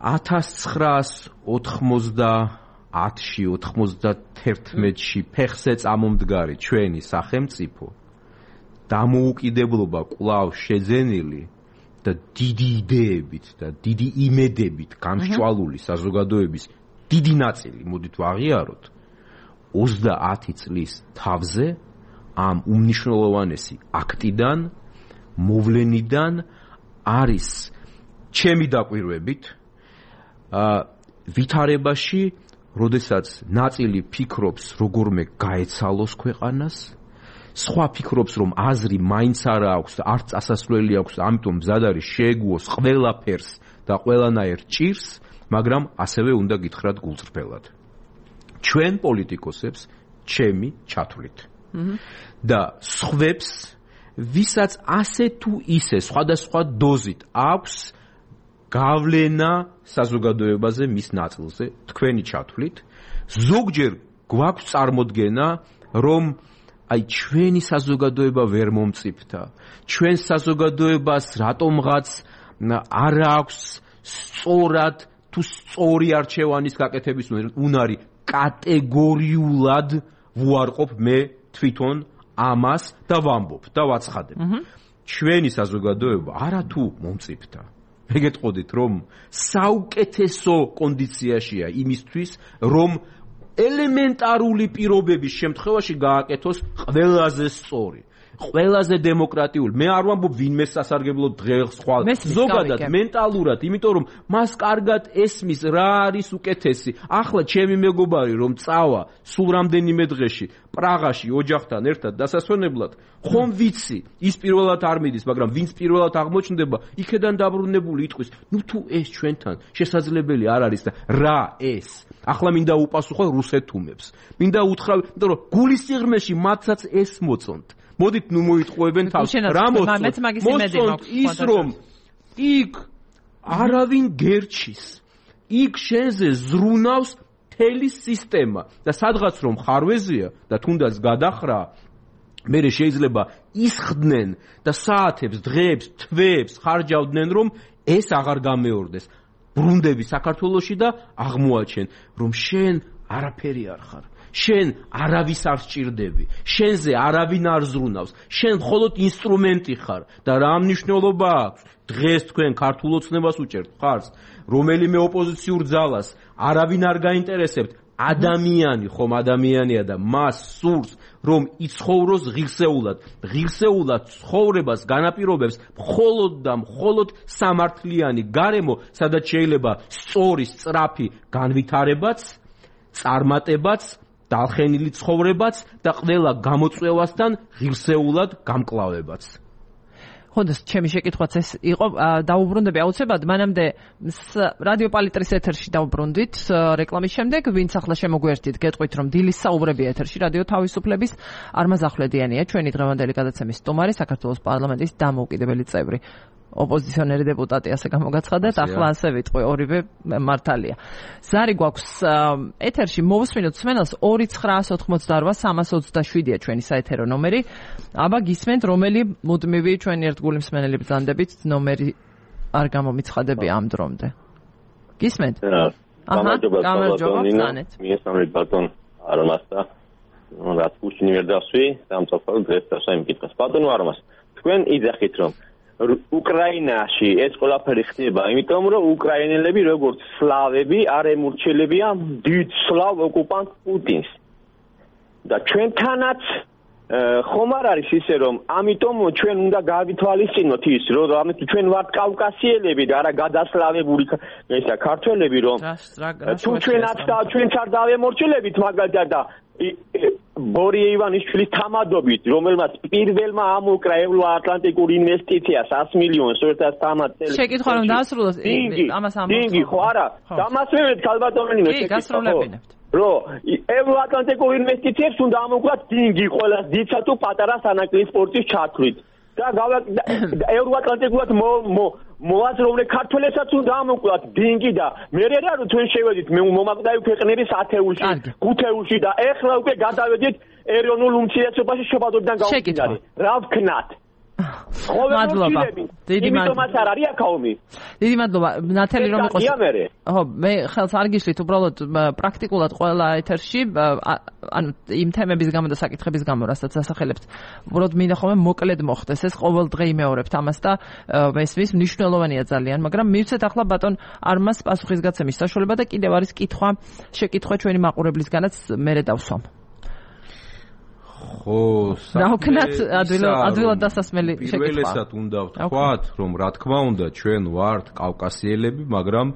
ათას ცხრაას ოთხმოცდაათში, ოთხმოცდათერთმეტში ფეხზე წამომდგარი ჩვენი სახელმწიფო დამოუკიდებლობა კვლავ შეძენილი და დიდი იდეებით და დიდი იმედებით გამსჭვალული საზოგადოების დიდი ნაწილი, მოდით ვაღიაროთ, ოცდაათი წლის თავზე ამ უმნიშვნელოვანესი აქტიდან, მოვლენიდან არის ჩემი დაკვირვებით ვითარებაში, როდესაც ნაწილი ფიქრობს როგორმე გაეცალოს ქვეყანას, სხვა ფიქრობს რომ აზრი მაინც არა აქვს და არც წასასვლელი აქვს, ამიტომ მზად არის შეეგუოს ყველაფერს და ყველანაირ ჭირს, მაგრამ ასევე უნდა გითხრათ გულწრფელად. ჩვენ პოლიტიკოსებს ჩემი ჩათვლით. და სხვებს ვისაც ასე თუ ისე სხვადასხვა დოზით აქვს გავლენა საზოგადოებაზე მის ნაწილზე თქვენი ჩათვლით ზოგჯერ გვაქვს წარმოდგენა რომ აი ჩვენი საზოგადოება ვერ მომწიფდა ჩვენ საზოგადოებას რატომღაც არ აქვს სწორად თუ სწორი არჩევანის გაკეთების უნარი კატეგორიულად ვუარყოფ მე თვითონ ამას და ვამბობ და ვაცხადებ. ჩვენი საზოგადოება არათუ მომწიფდა. მე გეტყოდით რომ საუკეთესო კონდიციაშია იმისთვის რომ ელემენტარული პირობების შემთხვევაში გააკეთოს ყველაზე სწორი, ყველაზე დემოკრატიული. მე არ ვამბობ ვინმე სასარგებლო დღეს ხვალ. ზოგადად მენტალურად, იმიტომ რომ მას კარგად ესმის რა არის უკეთესი. ახლა ჩემი მეგობარი რომ წავა სულ რამდენიმე დღეში პრაღაში ოჯახთან ერთად დასასვენებლად, ხომ ვიცი, ის პირველად არ მიდის, მაგრამ ვინც პირველად აღმოჩნდება, იქედან დაბრუნებული იტყვის, ნუ თუ ეს ჩვენთან შესაძლებელი არ არის და რა ეს? ახლა მინდა უპასუხო რუსეთუმებს. მინდა უთხრა, იმიტომ რომ გულის სიღრმეში მათაც ეს მოწონთ. მოდით ნუ მოიტყუებენ თავს. რა მოწონთ ის რომ იქ არავინ გერჩის. იქ შენზე ზრუნავს მთელი სისტემა და სადღაც რომ ხარვეზია და თუნდაც გადახრა მერე შეიძლება ისხდნენ და საათებს, დღეებს, თვეებს ხარჯავდნენ რომ ეს აღარ გამეორდეს. ბრუნდები საქართველოში და აღმოაჩენ რომ შენ არაფერი არ ხარ. შენ არავის არ სჭირდები, შენზე არავინ არ ზრუნავს, შენ მხოლოდ ინსტრუმენტი ხარ და რა მნიშვნელობა აქვს? დღეს თქვენ ქართულ ოცნებას უჭერთ ხარს, რომელიმე ოპოზიციურ ძალას არავინ არ გაინტერესებთ, ადამიანი ხომ ადამიანია და მას სურს რომ იცხოვროს ღირსეულად, ღირსეულად ცხოვრებას განაპირობებს მხოლოდ და მხოლოდ სამართლიანი გარემო, სადაც შეიძლება სწორი, სწრაფი განვითარებაც, წარმატებაც დალხენილი ცხოვრებაც და ყველა გამოწვევასთან ღირსეულად გამკლავებაც. ხონდა ჩემი შეკითხვაც ეს იყო, დაუბრუნდები აუცილებლად, მანამდე რადიო პალიტრის ეთერში დაუბრუნდით რეკლამის შემდეგ, ვინც ახლა შემოგვერთით, გეტყვით რომ დილის საუბრები ეთერში რადიო თავისუფლების არმაზ ახვლედიანია, ჩვენი დღევანდელი გადაცემის სტუმარი, საქართველოს პარლამენტის დამოუკიდებელი წევრი. ოპოზიციონერი დეპუტატი ასე გამოგაცხადეთ, ახლა ასე ვიტყვი, ორივე მართალია. ზარი გვაქვს ეთერში მოვუსმინოთ სმენელს ორი ცხრაას ოთხმოცდაორვა სამას ოცდაშვიდია ჩვენი საეთერო ნომერი. აბა გისმენთ რომელი მუდმივი ჩვენი ერთგული მსმენელი ბრძანდებით ნომერი არ გამომიცხადები ამ დრომდე. გისმენთ? აჰა, გამარჯობა, ბრძანეთ. მიესალმებით ბატონ არმას და რაც უშინი ვერ დასვი, სამწუხაროდ დღეს დასვა იმკითხეს. ბატონო არმას, თქვენ იძახით რომ უკრაინაში ეს ყველაფერი ხდება, იმიტომ რომ უკრაინელები როგორც სლავები არ ემორჩილებიან დიდ სლავ ოკუპანტ პუტინს. და ჩვენთანაც ხომ არ არის ისე რომ ამიტომ ჩვენ უნდა გავითვალისწინოთ ის რომ ჩვენ ვართ კავკასიელები და არა გადასლავებული ესა ქართველები რომ თუ ჩვენაც და ჩვენც არ დავემორჩილებით მაგალითად და ბორია ივანიშვილის თამადობით, რომელმაც პირველმა ამოკრა ევროატლანტიკურ ინვესტიციას ას მილიონს ერთად თამად წელი. შეკითხვა რომ დაასრულოს ამას ამბობთ. დინგი ხო არა? დამასვენებთ ქალბატონინო შეკითხვა. რო ევროატლანტიკურ ინვესტიციებს უნდა ამოკლათ დინგი ყველას დიცა თუ პატარა სანაკლის სპორტის ჩათვლით. და ევროატლანტიკურად მოაზროვნე ქართველებსაც უნდა ამოკლათ დინგი და მე რა რომ თქვენ შევედით მომაკვდავი ქვეყნების ათეულში, ხუთეულში და ეხლა უკვე გადავედით ეროვნულ უმცირესობაში შობადობიდან გამომდინარე. რა ვქნათ? მადლობა. დიდი მადლობა. არ არის აქაომი. დიდი მადლობა. ნათელი რომ იყოს. ხო, მე ხელს არ გიშლით, უბრალოდ პრაქტიკულად ყველა ეთერში, ანუ იმ თემების გამო და საკითხების გამო, რასაც ასახელებთ, უბრალოდ მინდა ხოლმე მოკლედ მოხდეს ეს ყოველდღე იმეორებთ ამას და მესმის მნიშვნელოვანია ძალიან, მაგრამ მივცეთ ახლა ბატონ არმას პასუხისგაცემის საშუალება და კიდევ არის კითხვა, შეკითხვა ჩვენი მაყურებლისგანაც მერე დავსვამ. ხო, საქმე ადვილად დასასმელი შეკითხვა. პირველესად უნდა ვთქვათ, რომ რა თქმა უნდა ჩვენ ვართ კავკასიელები, მაგრამ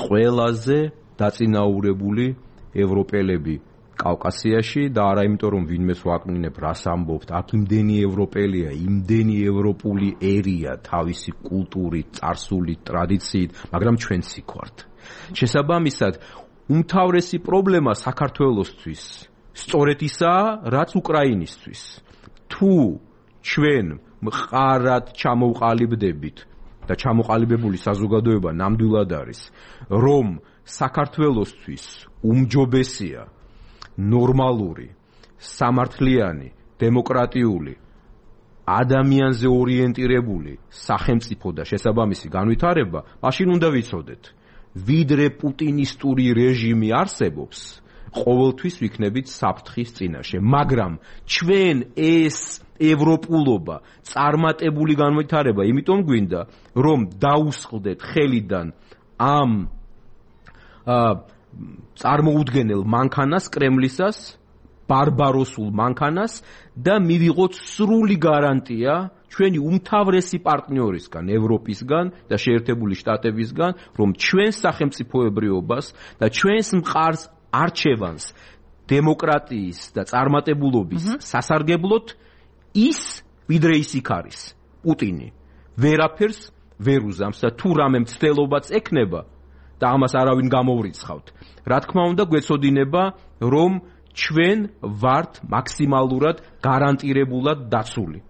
ყველაზე დაწინაურებული ევროპელები კავკასიაში და არა იმიტომ რომ ვინმეს ვაკნინებ რას ამბობთ, აქ იმდენი ევროპელია, იმდენი ევროპული ერია თავისი კულტურით, წარსულით, ტრადიციით, მაგრამ ჩვენც იქ ვართ. შესაბამისად უმთავრესი პრობლემა საქართველოსთვის სწორედ ისაა, რაც უკრაინისთვის. თუ ჩვენ მყარად ჩამოვყალიბდებით და ჩამოყალიბებული საზოგადოება ნამდვილად არის, რომ საქართველოსთვის უმჯობესია ნორმალური, სამართლიანი, დემოკრატიული, ადამიანზე ორიენტირებული სახელმწიფო და შესაბამისი განვითარება, მაშინ უნდა ვიცოდეთ, ვიდრე პუტინისტური რეჟიმი არსებობს, ყოველთვის ვიქნებით საფრთხის წინაშე, მაგრამ ჩვენ ეს ევროპულობა, წარმატებული განვითარება, იმიტომ გვინდა, რომ დაუსხლდეთ ხელიდან ამ წარმოუდგენელ მანქანას, კრემლისას, ბარბაროსულ მანქანას და მივიღოთ სრული გარანტია ჩვენი უმთავრესი პარტნიორისგან, ევროპისგან და შეერთებული შტატებისგან, რომ ჩვენ სახელმწიფოებრიობას და ჩვენს მყარს არჩევანს დემოკრატიის და წარმატებულობის სასარგებლოდ ის ვიდრე ის იქ არის, პუტინი ვერაფერს ვერ უზამს და თუ რამე მცდელობაც ექნება და ამას არავინ გამოვრიცხავთ. რა თქმა უნდა, გვეცოდინება, რომ ჩვენ ვართ მაქსიმალურად გარანტირებულად დაცული.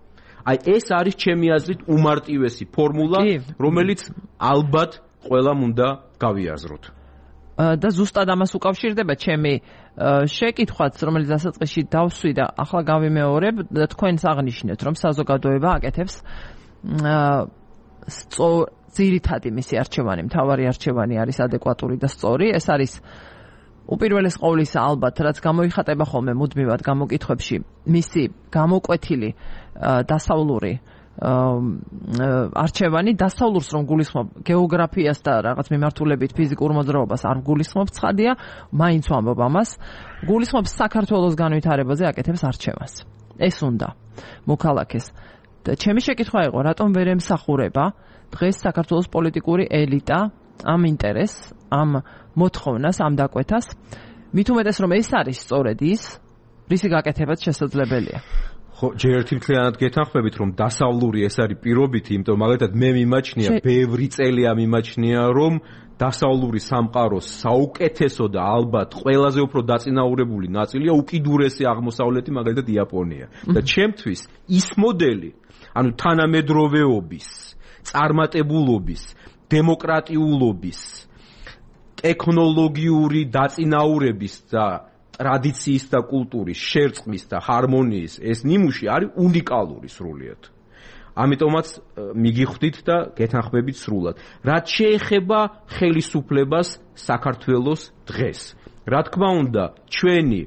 აი ეს არის ჩემი აზრით უმარტივესი ფორმულა, რომელიც ალბათ ყველამ უნდა გავიაზროთ. და ზუსტად ამას უკავშირდება ჩემი შეკითხვაც, რომელიც დასაწყისში დავსვი და ახლა გავიმეორებ და თქვენს აღნიშნეთ, რომ საზოგადოება აკეთებს ძირითადი მისი არჩევანი, მთავარი არჩევანი არის ადეკვატური და სწორი. ეს არის უპირველეს ყოვლისა ალბათ, რაც გამოიხატება ხოლმე მუდმივად გამოკითხვებში, მისი გამოკვეთილი დასავლური არჩევანი, დასავლურს რომ გულისხმობ გეოგრაფიას და რაღაც მიმართულებით ფიზიკურ მოძრაობას არ გულისხმობ, ცხადია, მაინც ვამბობ ამას, გულისხმობს საქართველოს განვითარებაზე აკეთებს არჩევანს. ეს უნდა მოქალაქეს. და ჩემი შეკითხვა იყო, რატომ ვერ ემსახურება დღეს საქართველოს პოლიტიკური ელიტა ამ ინტერესს, ამ მოთხოვნას, ამ დაკვეთას, მით უმეტეს რომ ეს არის სწორედ ის, რისი გაკეთებაც შესაძლებელია. ხო, ჯერ ერთი მთლიანად გეთანხმებით, რომ დასავლური ეს არის პირობითი, იმიტომ მაგალითად მე მიმაჩნია, ბევრი წელია მიმაჩნია, რომ დასავლური სამყაროს საუკეთესო და ალბათ ყველაზე უფრო დაწინაურებული ნაწილია უკიდურესი აღმოსავლეთი, მაგალითად იაპონია. და ჩემთვის ის მოდელი, ანუ თანამედროვეობის, წარმატებულობის, დემოკრატიულობის, ტექნოლოგიური დაწინაურების და ტრადიციის და კულტურის შერწყმის და ჰარმონიის ეს ნიმუში არის უნიკალური სრულიად. ამიტომაც მიგიხვდით და გეთანხმებით სრულად. რაც შეეხება ხელისუფლებას საქართველოს დღეს. რა თქმა უნდა, ჩვენი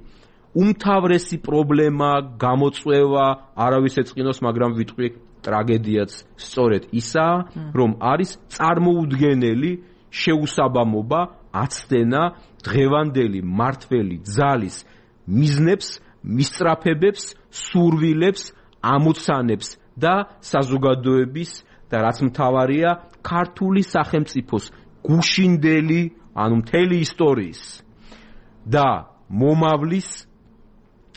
უმთავრესი პრობლემა, გამოწვევა, არავის ეწყინოს, მაგრამ ვიტყვი ტრაგედიაც სწორედ ისაა, რომ არის წარმოუდგენელი შეუსაბამობა, აცდენა დღევანდელი მართველი ძალის მიზნებს, მისწრაფებებს, სურვილებს, ამოცანებს და საზოგადოების და რაც მთავარია, ქართული სახელმწიფოს გუშინდელი, ანუ მთელი ისტორიის და მომავლის,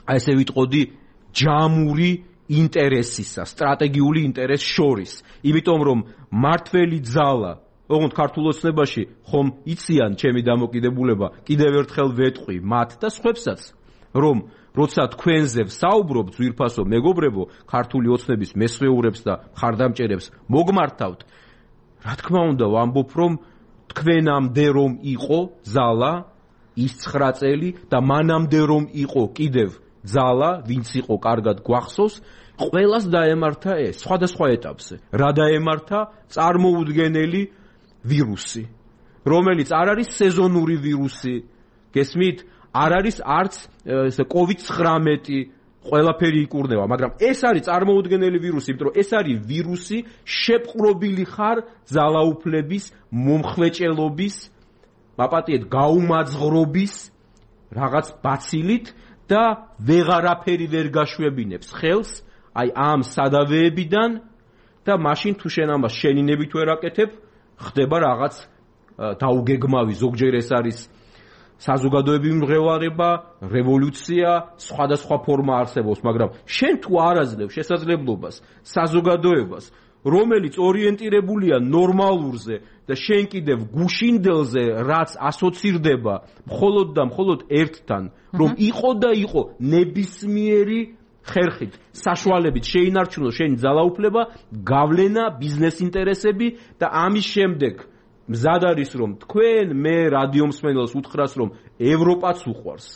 ესე ვიტყოდი, ჯამური ინტერესისა, სტრატეგიული ინტერესს შორის. იმიტომ რომ მართველი ძალა, ოღონდ ქართულ ოცნებაში ხომ იციან ჩემი დამოკიდებულება, კიდევ ერთხელ ვეტყვი მათ და სხვებსაც, რომ როცა თქვენზე ვსაუბრობ, ძვირფასო მეგობრებო, ქართული ოცნების მესვეურებს და მხარდამჭერებს მოგმართავთ, რა თქმა უნდა, ვამბობ, რომ თქვენამდე რომ იყო ძალა ის ცხრა წელი და მანამდე რომ იყო კიდევ ძალა, ვინც იყო კარგად გვახსოვს, ყველას დაემართა ეს, სხვადასხვა ეტაპზე. რა დაემართა? წარმოუდგენელი ვირუსი, რომელიც არ არის სეზონური ვირუსი, გესმით? არ არის არც კოვიდ ცხრამეტი, ყველაფერი იკურნება, მაგრამ ეს არის წარმოუდგენელი ვირუსი, იმიტომ რომ ეს არის ვირუსი შეპყრობილი ხარ ძალაუფლების, მომხვეჭელობის, მაპატიეთ გაუმაძღრობის რაღაც ბაცილით და ვეღარაფერი ვერ გაშვებინებს ხელს აი ამ სადავეებიდან და მაშინ თუ შენ ამას შენინებით ვერ აკეთებ, ხდება რაღაც დაუგეგმავი, ზოგჯერ ეს არის საზოგადოებრივი მღელვარება, რევოლუცია, სხვადასხვა ფორმა არსებობს, მაგრამ შენ თუ არ აძლევ შესაძლებლობას საზოგადოებას, რომელიც ორიენტირებულია ნორმალურზე და შენ კიდევ გუშინდელზე, რაც ასოცირდება მხოლოდ და მხოლოდ ერთთან, რომ იყო და იყო ნებისმიერი ხერხით, საშუალებით შეინარჩუნო შენი ძალაუფლება, გავლენა, ბიზნეს ინტერესები და ამის შემდეგ მზად არის რომ თქვენ მე რადიო მსმენელს უთხრას რომ ევროპაც უყვარს.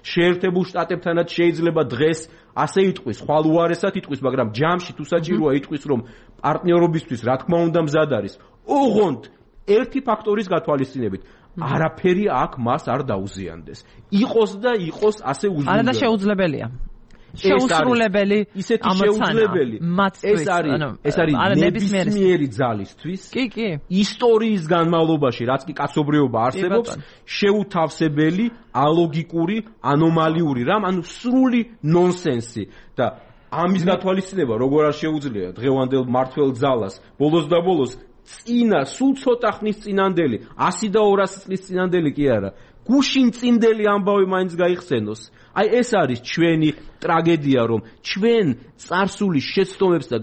შეერთებულ შტატებთანაც შეიძლება დღეს ასე იტყვის, ხვალ უარესად იტყვის, მაგრამ ჯამში თუ საჭიროა იტყვის რომ პარტნიორობისთვის რა თქმა უნდა მზად არის. ოღონდ ერთი ფაქტორის გათვალისწინებით არაფერი აქ მას არ დაუზიანდეს. იყოს და იყოს ასე უზრუნველყოფილი. არა და შეუძლებელია. შეუსრულებელი ისეთი შეუძლებელი ეს არის ეს არის ნებისმიერი ძალისთვის კი კი ისტორიის განმავლობაში რაც კი კაცობრიობა არსებობს შეუთავსებელი ალოგიკური ანომალიური რამ ანუ სრული ნონსენსი და ამის გათვალისწინება როგორ არ შეუძლია დღევანდელ მართველ ძალას ბოლოს და ბოლოს წინა სულ ცოტა ხნის წინანდელი ასი და ორასი წლის წინანდელი კი არა გუშინ წინდელი ამბავი მაინც გაიხსენოს აი ეს არის ჩვენი ტრაგედია რომ ჩვენ წარსული შეცდომებს და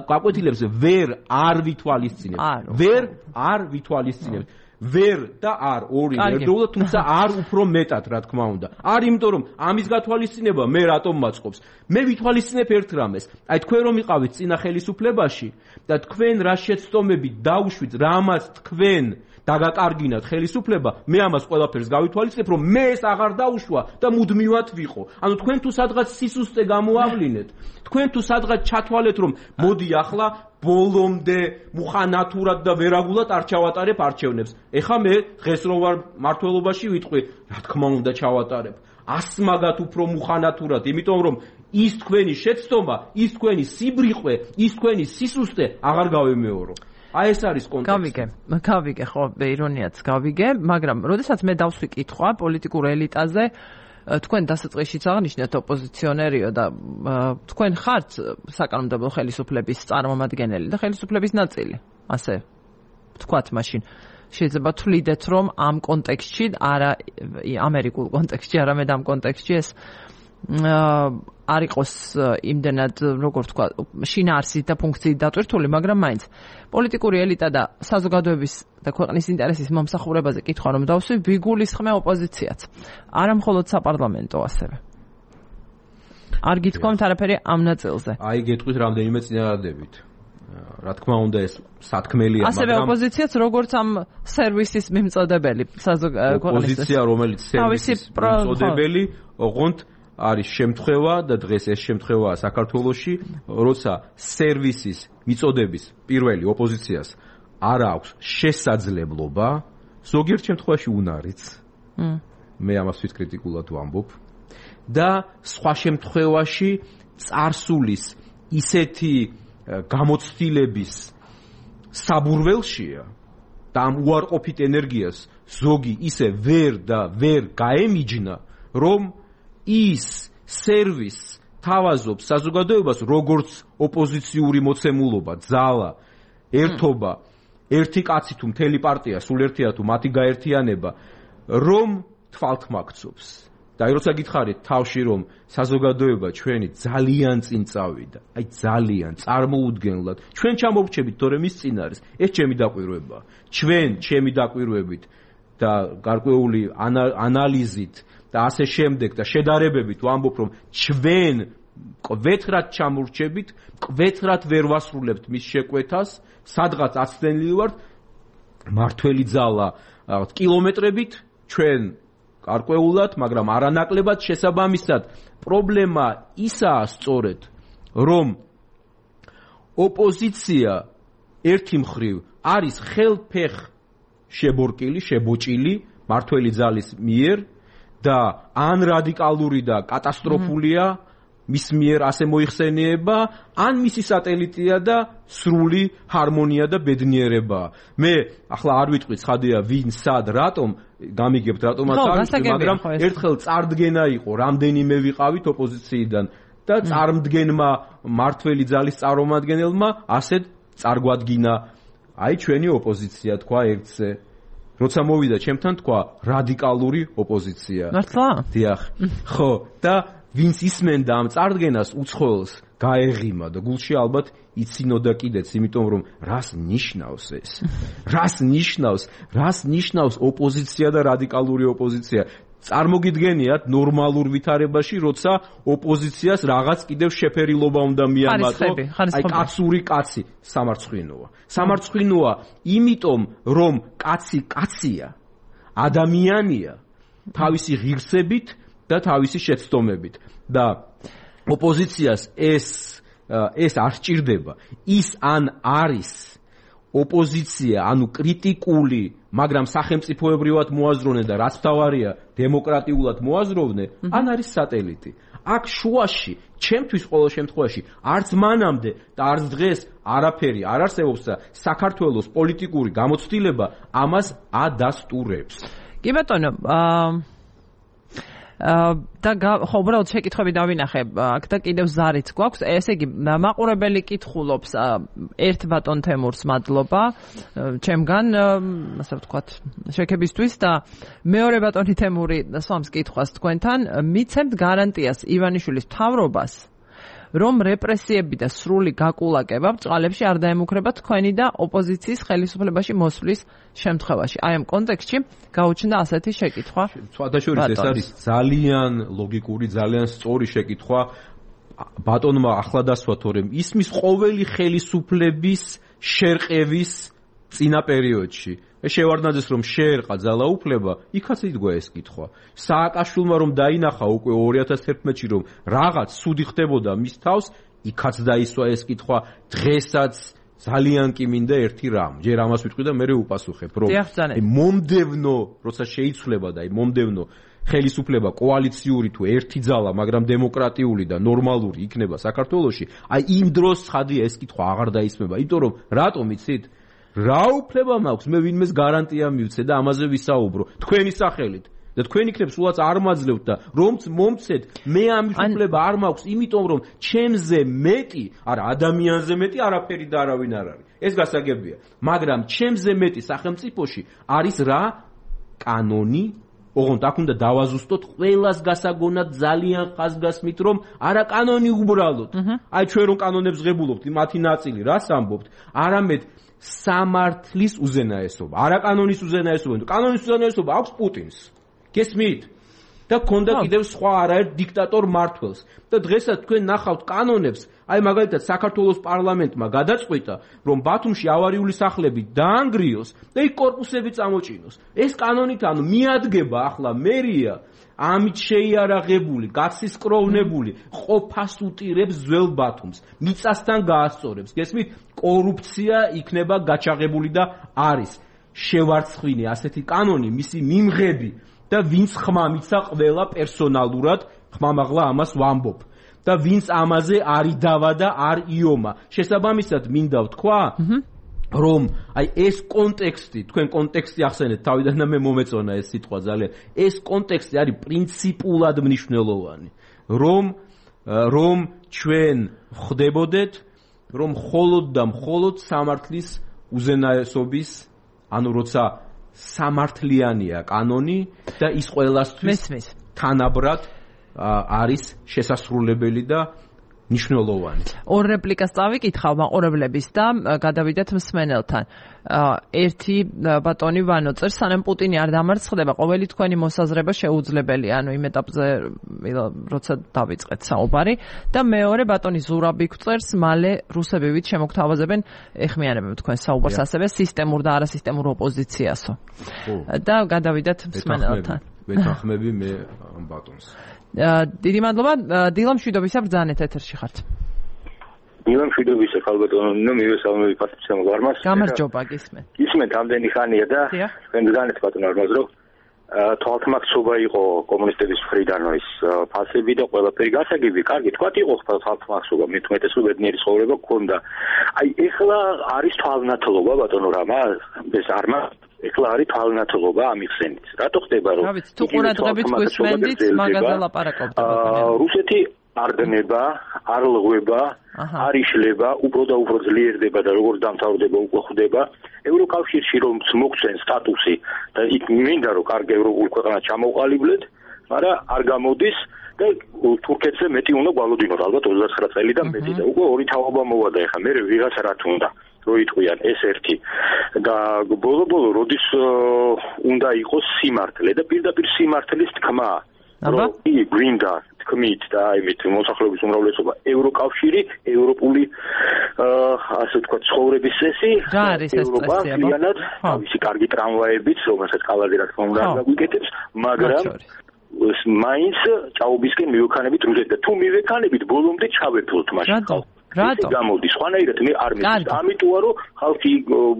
გაკვეთილებს ვერ არ ვითვალისწინებთ ვერ არ ვითვალისწინებთ ვერ და არ ორი ერთდროულად თუმცა არ უფრო მეტად რა თქმა უნდა არ იმიტომ რომ ამის გათვალისწინება მე რატომ მაწყობს მე ვითვალისწინებ ერთ რამეს აი თქვენ რომ იყავით წინა ხელისუფლებაში და თქვენ რა შეცდომები დაუშვით რამაც თქვენ დაგაკარგინათ ხელისუფლება მე ამას ყველაფერს გავითვალისწინებ რომ მე ეს აღარ დაუშვა და მუდმივად ვიყო ანუ თქვენ თუ სადღაც სისუსტე გამოავლინეთ თქვენ თუ სადღაც ჩათვალეთ რომ მოდი ახლა ბოლომდე მუხანათურად და ვერაგულად არ ჩავატარებ არჩევნებს ეხა მე დღეს რო ვარ მართლობაში ვიტყვი რა თქმა უნდა ჩავატარებ ასმაგად უფრო მუხანათურად იმიტომ რომ ის თქვენი შეცდომა ის თქვენი სიბრიყვე ის თქვენი სისუსტე აღარ გავემეორო აი ეს არის კონტექსტი. გავიგე, გავიგე, ხო, ირონიაც გავიგე, მაგრამ როდესაც მე დავსვი კითხვა პოლიტიკურ ელიტაზე, თქვენ დასაწყისშიც აღნიშნეთ ოპოზიციონერიო და თქვენ ხართ საკანონმდებლო ხელისუფლების წარმომადგენელი და ხელისუფლების ნაწილი. ასე ვთქვათ მაშინ. შეიძლება თვლიდეთ, რომ ამ კონტექსტში, არა ამერიკულ კონტექსტში, არამედ ამ კონტექსტში ეს არ იყოს იმდენად როგორ თქვა შინაარსით და ფუნქციით დატვირთული, მაგრამ მაინც პოლიტიკური ელიტა და საზოგადოების და ქვეყნის ინტერესის მომსახურებაზე კითხვა რომ დავსვი, ვიგულისხმე ოპოზიციაც. არა მხოლოდ საპარლამენტო ასევე. არ გითქვამთ არაფერი ამ ნაწილზე. აი გეტყვით რამდენიმე წინადადებით. რა თქმა უნდა ეს სათქმელია, მაგრამ ასევე ოპოზიციაც როგორც ამ სერვისის მიმწოდებელი საზოგადოების ოპოზიცია რომელიც სერვისის მიმწოდებელი, ოღონდ არის შემთხვევა და დღეს ეს შემთხვევაა საქართველოში, როცა სერვისის მიწოდების პირველი ოპოზიციას არ აქვს შესაძლებლობა, ზოგიერთ შემთხვევაში უნარიც. მე ამას ვით კრიტიკულად ვამბობ და სხვა შემთხვევაში წარსულის ისეთი გამოცდილების საბურველშია და ამ უარყოფით ენერგიას ზოგი ისე ვერ და ვერ გაემიჯნა, რომ ის სერვის თავაზობს საზოგადოებას როგორც ოპოზიციური მოცემულობა, ძალა, ერთობა, ერთი კაცი თუ მთელი პარტია, სულ ერთია თუ მათი გაერთიანება, რომ თვალთმაქცობს. და აი როცა გითხარით თავში რომ საზოგადოება ჩვენი ძალიან წინ წავიდა, აი ძალიან წარმოუდგენლად, ჩვენ ჩამოვრჩებით თორემ ის წინ არის, ეს ჩემი დაკვირვებაა. ჩვენ ჩემი დაკვირვებით და გარკვეული ანალიზით და ასე შემდეგ და შედარებებით ვამბობ რომ ჩვენ კვეთრად ჩამორჩებით, კვეთრად ვერ ვასრულებთ მის შეკვეთას, სადღაც აცდენილი ვართ მართველი ძალა კილომეტრებით ჩვენ გარკვეულად, მაგრამ არანაკლებად შესაბამისად პრობლემა ისაა სწორედ რომ ოპოზიცია ერთი მხრივ არის ხელფეხ შებორკილი, შებოჭილი მართველი ძალის მიერ და ან რადიკალური და კატასტროფულია მის მიერ ასე მოიხსენიება, ან მისი სატელიტია და სრული ჰარმონია და ბედნიერება. მე ახლა არ ვიტყვი ცხადია ვინ სად რატომ გამიგებთ რატომაც არ ვიტყვი, მაგრამ ერთხელ წარდგენა იყო, რამდენიმე ვიყავით ოპოზიციიდან და წარმდგენმა მართველი ძალის წარმომადგენელმა ასეთ წარგვადგინა აი ჩვენი ოპოზიცია თქვა ერთზე. როცა მოვიდა ჩემთან თქვა რადიკალური ოპოზიცია. მართლა? დიახ. ხო, და ვინც ისმენდა ამ წარდგენას უცხოელს გაეღიმა და გულში ალბათ იცინოდა კიდეც, იმიტომ რომ რას ნიშნავს ეს? რას ნიშნავს? რას ნიშნავს ოპოზიცია და რადიკალური ოპოზიცია? წარმოგიდგენიათ ნორმალურ ვითარებაში, როცა ოპოზიციას რაღაც კიდევ შეფერილობა უნდა მიამატო, აი კაცური კაცი სამარცხვინოა. სამარცხვინოა, იმიტომ რომ კაცი კაცია, ადამიანია თავისი ღირსებით და თავისი შეცდომებით და ოპოზიციას ეს ეს არ სჭირდება. ის ან არის ოპოზიცია, ანუ კრიტიკული, მაგრამ სახელმწიფოებრივად მოაზროვნე და რაც თავარია, დემოკრატიულად მოაზროვნე, ან არის სატელიტი. აქ შუაში, ჩემთვის ყოველ შემთხვევაში, არც მანამდე და არც დღეს არაფერი არ არსებობს და საქართველოს პოლიტიკური გამოცდილება ამას ადასტურებს. კი ბატონო, აა და ხო უბრალოდ შეკითხვები დავინახე აქ და კიდევ ზარიც გვაქვს. ესე იგი მაყურებელი კითხულობს ერთ ბატონ თემურს მადლობა ჩემგან ასე ვთქვათ შექებისთვის და მეორე ბატონი თემური სვამს კითხვას თქვენთან მიცემთ გარანტიას ივანიშვილის მთავრობას რომ რეპრესიები და სრული გაკულაკება ბწყალებში არ დაემუქრება თქვენი და ოპოზიციის ხელისუფლებაში მოსვლის შემთხვევაში. აი ამ კონტექსტში გაუჩნდა ასეთი შეკითხვა. სხვადასხვა ეს არის ძალიან ლოგიკური, ძალიან სწორი შეკითხვა. ბატონმა ახლა დასვათ, რომ ისმის ყოველი ხელისუფლების შერყევის წინა პერიოდში. შევარდნაძეს რომ შეერყა ძალაუფლება, იქაც იდგა ეს კითხვა. სააკაშვილმა რომ დაინახა უკვე ორი ათას თერთმეტში რომ რაღაც სუდი ხდებოდა მის თავს, იქაც დაისვა ეს კითხვა. დღესაც ძალიან კი მინდა ერთი რამ. ჯერ ამას ვიტყვი და მერე უპასუხებ, რომ მომდევნო, როცა შეიცვლება და მომდევნო ხელისუფლება კოალიციური თუ ერთი ძალა, მაგრამ დემოკრატიული და ნორმალური იქნება საქართველოში, აი იმ დროს ცხადია ეს კითხვა აღარ დაისმება. იმიტომ რომ რატომ იცით? რა უფლება მაქვს მე ვინმეს გარანტია მივცე და ამაზე ვისაუბრო თქვენი სახელით და თქვენ იქნებ სულაც არ მაძლევთ და რომც მომცეთ მე ამ უფლება არ მაქვს იმიტომ რომ ჩემზე მეტი არა ადამიანზე მეტი არაფერი და არავინ არ არის ეს გასაგებია მაგრამ ჩემზე მეტი სახელმწიფოში არის რა კანონი ოღონდ აქ უნდა დავაზუსტოთ ყველას გასაგონად ძალიან ხაზგასმით რომ არა კანონი უბრალოდ აი ჩვენ რომ კანონებს ღებულობთ მათი ნაწილი რას ამბობთ არამედ სამართლის უზენაესობა. არა კანონის უზენაესობა, კანონის უზენაესობა აქვს პუტინს. გესმით? და ქონდა კიდევ სხვა არაერთ დიქტატორ მართველს. და დღესაც თქვენ ნახავთ კანონებს, აი მაგალითად საქართველოს პარლამენტმა გადაწყვიტა, რომ ბათუმში ავარიული სახლები დაანგრიოს და იქ კორპუსები წამოჭინოს. ეს კანონით ანუ მიადგება ახლა მერია ამით შეიარაღებული, გაცისკროვნებული, ყოფას უტირებს ძველ ბათუმს, მიწასთან გაასწორებს. გესმით? კორუფცია იქნება გაჩაღებული და არის შევარცხვინე ასეთი კანონი, მისი მიმღები და ვინც ხმა მიცა ყველა პერსონალურად, ხმამაღლა ამას ვამბობ. და ვინც ამაზე არ იდავა და არ იომა. შესაბამისად მინდა ვთქვა, რომ აი ეს კონტექსტი, თქვენ კონტექსტი ახსენეთ, თავიდან და მე მომეწონა ეს სიტყვა ძალიან. ეს კონტექსტი არის პრინციპულად მნიშვნელოვანი, რომ რომ ჩვენ ხვდებოდეთ, რომ მხოლოდ და მხოლოდ სამართლის უზენაესობის, ანუ როცა სამართლიანია კანონი და ის ყველასთვის თანაბრად არის შესასრულებელი და ნიშნულოვანი. ორ რეპლიკას წავიკითხავ მაყურებლების და გადავიდეთ მსმენელთან. ერთი ბატონი ვანო წერს, სანამ პუტინი არ დამარცხდება, ყოველი თქვენი მოსაზრება შეუძლებელია, ანუ იმ ეტაპზე, როცა დავიწყეთ საუბარი და მეორე ბატონი ზურაბი წერს, მალე რუსები ვით შემოგთავაზებენ, ეხმიანებენ თქვენ საუბარს ასევე სისტემურ და არასისტემურ ოპოზიციასო. და გადავიდეთ მსმენელთან. ვეთანხმები მე ამ ბატონს. დიდი მადლობა. დილა მშვიდობისა, ბრძანეთ ეთერში ხართ. დილა მშვიდობისა, ხალბატონო, მივესალმები ფასტიცემ გარმას. გამარჯობა, გისმენთ. გისმენთ ამდენი ხანია და თქვენ ბრძანეთ ბატონო არმაზ რომ თვალთმაქცობა იყო კომუნისტების მხრიდან ის ფასები და ყველაფერი გასაგები, კარგი, თქვათ იყო თვალთმაქცობა, მithumetes რომ ბედნიერი ცხოვრება გქონდა. აი ეხლა არის თვალნათლობა ბატონო რამა, ეს არმა ეხლა არის თვალნათლობა ამიხსენით. რატო ხდება რომ თუ ყურადღებით გვისმენდით, მაგაზე ლაპარაკობთ. რუსეთი არ დნება, არ ლღვება, არ იშლება, უფრო და უფრო ძლიერდება და როგორც დამთავრდება უკვე ხვდება. ევროკავშირში რომ მოგცენ სტატუსი და იქ მინდა რომ კარგი ევროპულ ქვეყანა ჩამოყალიბლეთ, მაგრამ არ გამოდის და თურქეთზე მეტი უნდა გვალოდინოთ, ალბათ ოცდათხრა წელი და მეტი და უკვე ორი თაობა მოვა და ეხლა მე ვიღაცა რა თქმა რო იტყვიან ეს ერთი და ბოლო-ბოლო როდის უნდა იყოს სიმართლე და პირდაპირ სიმართლის თქმა რომ იგი გვინდა თქმით და იმით მოსახლეობის უმრავლესობა ევროკავშირი, ევროპული ასე ვთქვათ ცხოვრების წესი, ევროპა ძალიანად თავისი კარგი ტრამვაებით, რომელსაც კალადი რა თქმა უნდა გაგვიკეთებს, მაგრამ მაინც ჭაობისკენ მივექანებით რუსეთს და თუ მივექანებით ბოლომდე ჩავეფლოთ მაშინ ხალხს. რატო? გამოდის ხვანაირად მე არ მიწევს. ამიტოა რომ ხალხი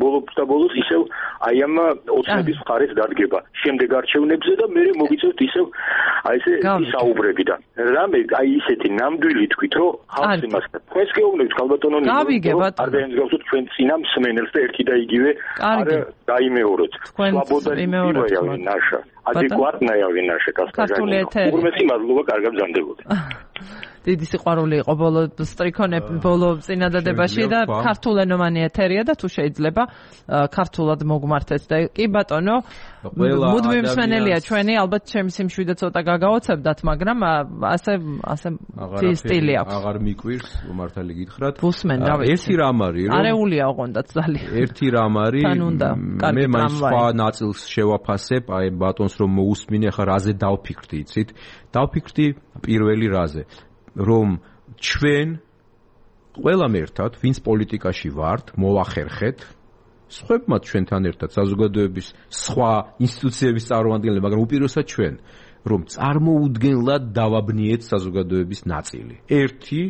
ბოლოს და ბოლოს ისევ აი ამ ოცნების მხარეს დადგება შემდეგ არჩევნებზე და მე მოგიწევთ ისევ აი ესე ისაუბრები და რამე აი ისეთი ნამდვილი თქვით რომ ხალხს იმას თქვენს გეუბნებით ხალბატონო ნიკო არ დაემსგავსოთ ჩვენ წინა მსმენელს და ერთი და იგივე არ დაიმეოროთ. სვაბოდა იმეოროთ ნაშა ადეკვატная ვინაშე კასტაგანი. უღრმესი მადლობა კარგად ბრძანდებოდი. დიდი სიყვარული იყო ბოლო სტრიქონე ბოლო წინადადებაში და ქართულენოვანი ეთერია და თუ შეიძლება ქართულად მოგმართეთ და კი ბატონო მუდმივ მსმენელია ჩვენი ალბათ ჩემი სიმშვიდე ცოტა გაგაოცებდათ მაგრამ ასე ასე სტილი აქვს აღარ მიკვირს მართალი გითხრათ ბუსმენ რა ვიცი ერთი რამ არის რომ არეულია ოღონდაც ძალიან ერთი რამ არის მე მაინც სხვა ნაწილს შევაფასებ აი ბატონს რომ მოусმინე ხა რაზე დავფიქრდი იცით დავფიქრდი პირველი რაზე რომ ჩვენ ყველამ ერთად, ვინც პოლიტიკაში ვართ, მოვახერხეთ, სხვებმაც ჩვენთან ერთად საზოგადოების სხვა ინსტიტუციების წარმომადგენლები, მაგრამ უპირველესად ჩვენ, რომ წარმოუდგენლად დავაბნიეთ საზოგადოების ნაწილი. ერთი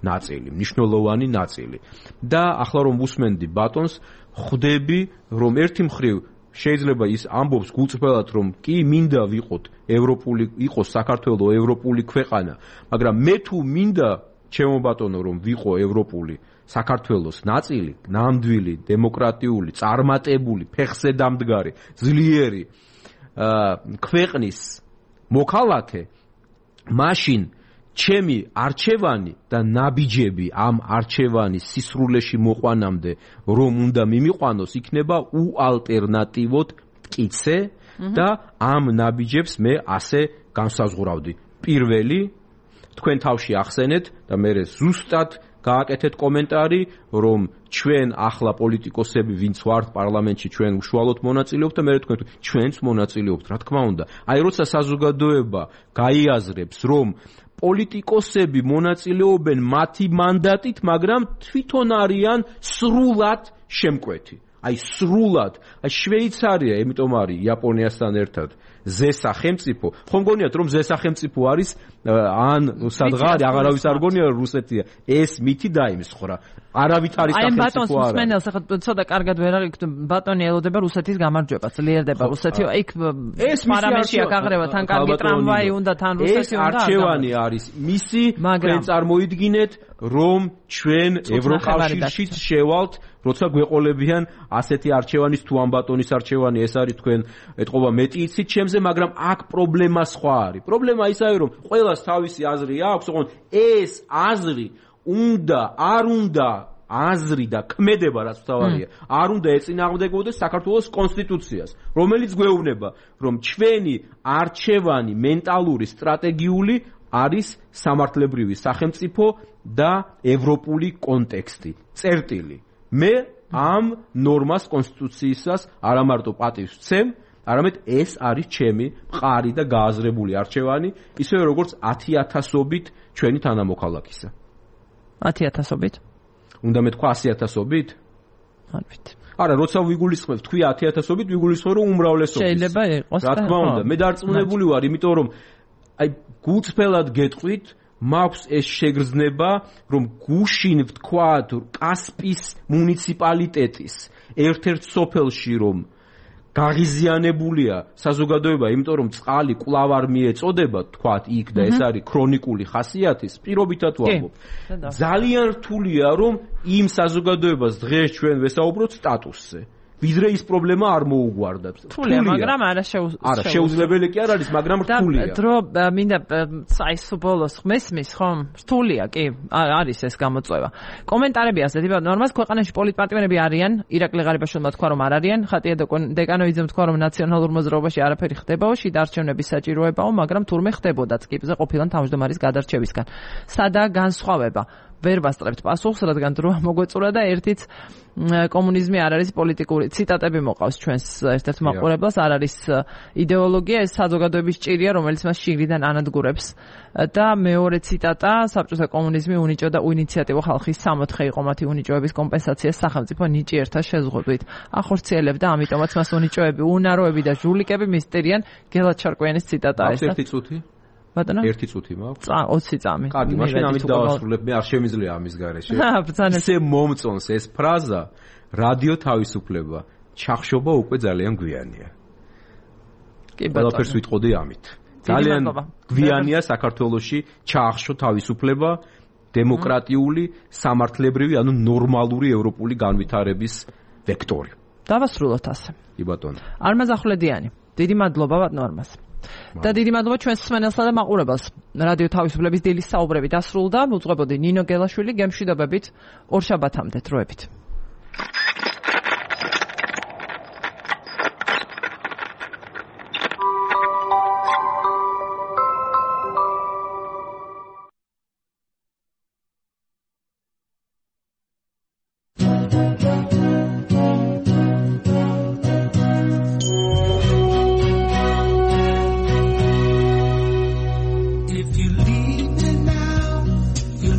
ნაწილი, მნიშვნელოვანი ნაწილი. და ახლა რომ უსმენდი ბატონს, ხვდები, რომ ერთი მხრივ შეიძლება ის ამბობს გულწრფელად რომ კი მინდა ვიყოთ ევროპული იყოს საქართველოს ევროპული ქვეყანა მაგრამ მე თუ მინდა ჩემო ბატონო რომ ვიყო ევროპული საქართველოს ნაწილი ნამდვილი დემოკრატიული წარმატებული ფეხზე დამდგარი ძლიერი ქვეყნის მოქალაქე მაშინ ჩემი არჩევანი და ნაბიჯები ამ არჩევანის სისრულეში მოყვანამდე რომ უნდა მიმიყვანოს იქნება უალტერნატივოდ მტკიცე და ამ ნაბიჯებს მე ასე განსაზღვრავდი. პირველი თქვენ თავში ახსენეთ და მე ზუსტად გააკეთეთ კომენტარი რომ ჩვენ ახლა პოლიტიკოსები ვინც ვართ პარლამენტში ჩვენ უშუალოდ მონაწილეობთ და მე თქვენ ჩვენც მონაწილეობთ რა თქმა უნდა. აი როცა საზოგადოება გაიაზრებს რომ პოლიტიკოსები მონაწილეობენ მათი მანდატით, მაგრამ თვითონ არიან სრულად შემკვეთი. აი სრულად. აი შვეიცარია, იმიტომ არის იაპონიასთან ერთად ზე სახელმწიფო. ხომ გონიათ რომ ზე სახელმწიფო არის ან სადღაც აღარავის არ გონია რუსეთია. ეს მითი დაიმსხრა. არავით არის სახელმწიფო არა. აი ბატონს მსმენელს ახლა ცოტა კარგად ვერ აღიქ ბატონი ელოდება რუსეთის გამარჯვებას, ძლიერდება რუსეთი. იქ პარამეტრია გაღრევა თან კარგი ტრამვაი უნდა თან რუსეთი უნდა. არჩევანი არის მისი, თქვენ წარმოიდგინეთ რომ ჩვენ ევროკავშირშიც შევალთ, როცა გვეყოლებიან ასეთი არჩევანის თუ ამ ბატონის არჩევანი ეს არის თქვენ ეთყობა მეტი იცით ჩემზე, მაგრამ აქ პრობლემა სხვა არის. პრობლემა ის არის რომ ყველას თავისი აზრი აქვს, ოღონდ ეს აზრი უნდა არ უნდა აზრი და ქმედება რაც თავარია არ უნდა ეწინააღმდეგებოდეს საქართველოს კონსტიტუციას, რომელიც გვეუბნება რომ ჩვენი არჩევანი მენტალური სტრატეგიული არის სამართლებრივი სახელმწიფო და ევროპული კონტექსტი. წერტილი. მე ამ ნორმას კონსტიტუციისას არა მარტო პატივს ვცემ, არამედ ეს არის ჩემი მყარი და გააზრებული არჩევანი, ისევე როგორც ათი ათასობით ჩვენი თანამოქალაქისა. ათი ათასობით? უნდა მეთქვა ასი ათასობით? არ ვიცი. არა, როცა ვიგულისხმებ, თქვი ათი ათასობით, ვიგულისხმებ რომ უმრავლესობის. შეიძლება იყოს. რა თქმა უნდა, მე დარწმუნებული ვარ, იმიტომ რომ აი გულწრფელად გეტყვით, მაქვს ეს შეგრძნება, რომ გუშინ ვთქვათ კასპის მუნიციპალიტეტის ერთ-ერთ სოფელში რომ გაღიზიანებულია საზოგადოება, იმიტომ რომ წყალი კვლავ არ მიეწოდება, თქვათ იქ და ეს არის ქრონიკული ხასიათის, პირობითად ვამბობ. ძალიან რთულია რომ იმ საზოგადოებას დღეს ჩვენ ვესაუბროთ სტატუსზე. ვიდრე ის პრობლემა არ მოუგვარდა. რთულია, მაგრამ არა შეუძლებელი. არა, შეუძლებელი კი არ არის, მაგრამ რთულია. და დრო მინდა აი სუბოლოს მესმის ხომ? რთულია კი, არის ეს გამოწვევა. კომენტარები ასე თვითონ ნორმას ქვეყანაში პოლიტპარტიები არიან, ირაკლი ღარიბაშვილმა თქვა რომ არ არიან, ხატია დეკანოვიძემ თქვა რომ ნაციონალურ მოძრაობაში არაფერი ხდებაო, შიდა არჩევნების საჭიროებაო, მაგრამ თურმე ხდებოდაც კიბზე ყოფილან თავმჯდომარის გადარჩევისგან. სადაა განსხვავება? ვერ ვასწრებთ პასუხს, რადგან დრო მოგვეწურა და ერთიც კომუნიზმი არ არის პოლიტიკური ციტატები მოყავს ჩვენს ერთ-ერთ მაყურებელს, არ არის იდეოლოგია, ეს საზოგადოების ჭირია, რომელიც მას შიგნიდან ანადგურებს. და მეორე ციტატა, საბჭოთა კომუნიზმი უნიჭო და ინიციატივა ხალხის სამოთხე იყო მათი უნიჭოების კომპენსაციას სახელმწიფო ნიჭიერთა შეზღუდვით. ახორციელებდა, ამიტომაც მას უნიჭოები, უნაროები და ჟულიკები მისტერიან. გელად ჩარკვიანის ციტატაა ეს. ერთი წუთი? ბატონო? ერთი წუთი მაქვს? ოცი წამი. კარგი, მაშინ ამით დავასრულებ, მე არ შემიძლია ამის გარეშე. ისე მომწონს ეს ფრაზა, რადიო თავისუფლება, ჩახშობა უკვე ძალიან გვიანია. კი ბატონო. ყველაფერს ვიტყოდი ამით. ძალიან გვიანია საქართველოში ჩაახშო თავისუფლება, დემოკრატიული, სამართლებრივი, ანუ ნორმალური ევროპული განვითარების ვექტორი. დავასრულოთ ასე. კი ბატონო. არმაზ ახვლედიანი, დიდი მადლობა ბატონო არმაზ. და დიდი მადლობა ჩვენს მსმენელსა და მაყურებელს. რადიო თავისუფლების დილის საუბრები დასრულდა. უძღვებოდი ნინო გელაშვილი, გემშვიდობებით, ორშაბათამდე დროებით.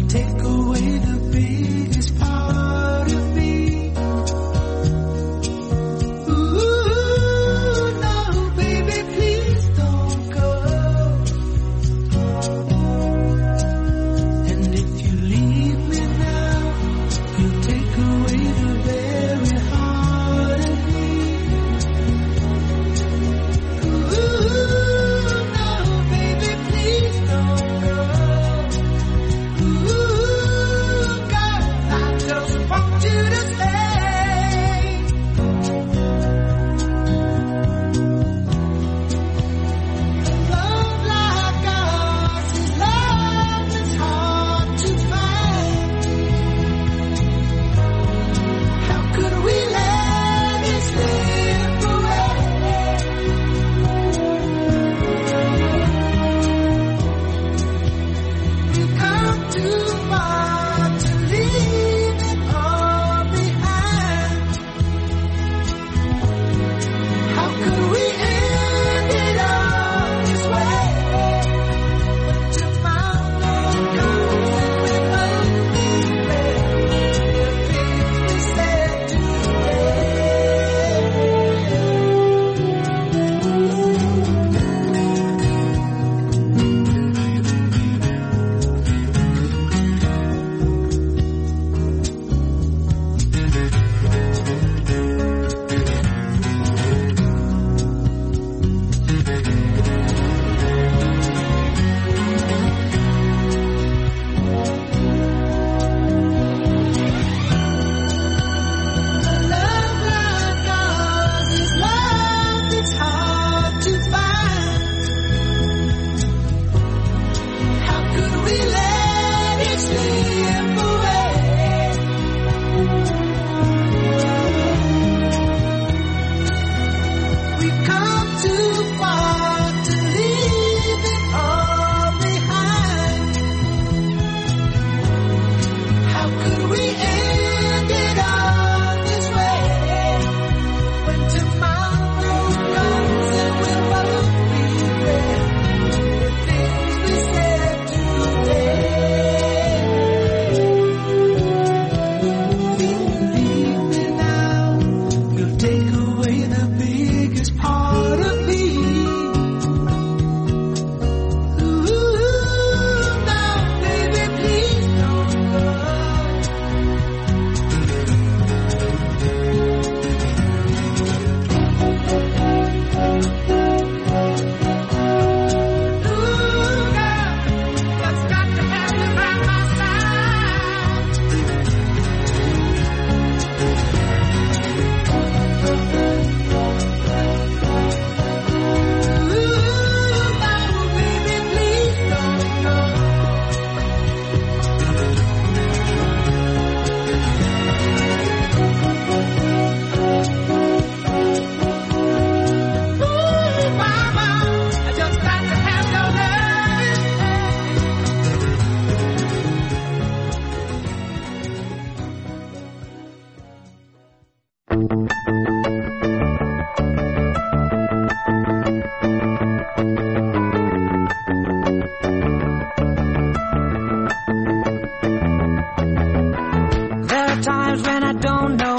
Take away the biggest part of me. don't know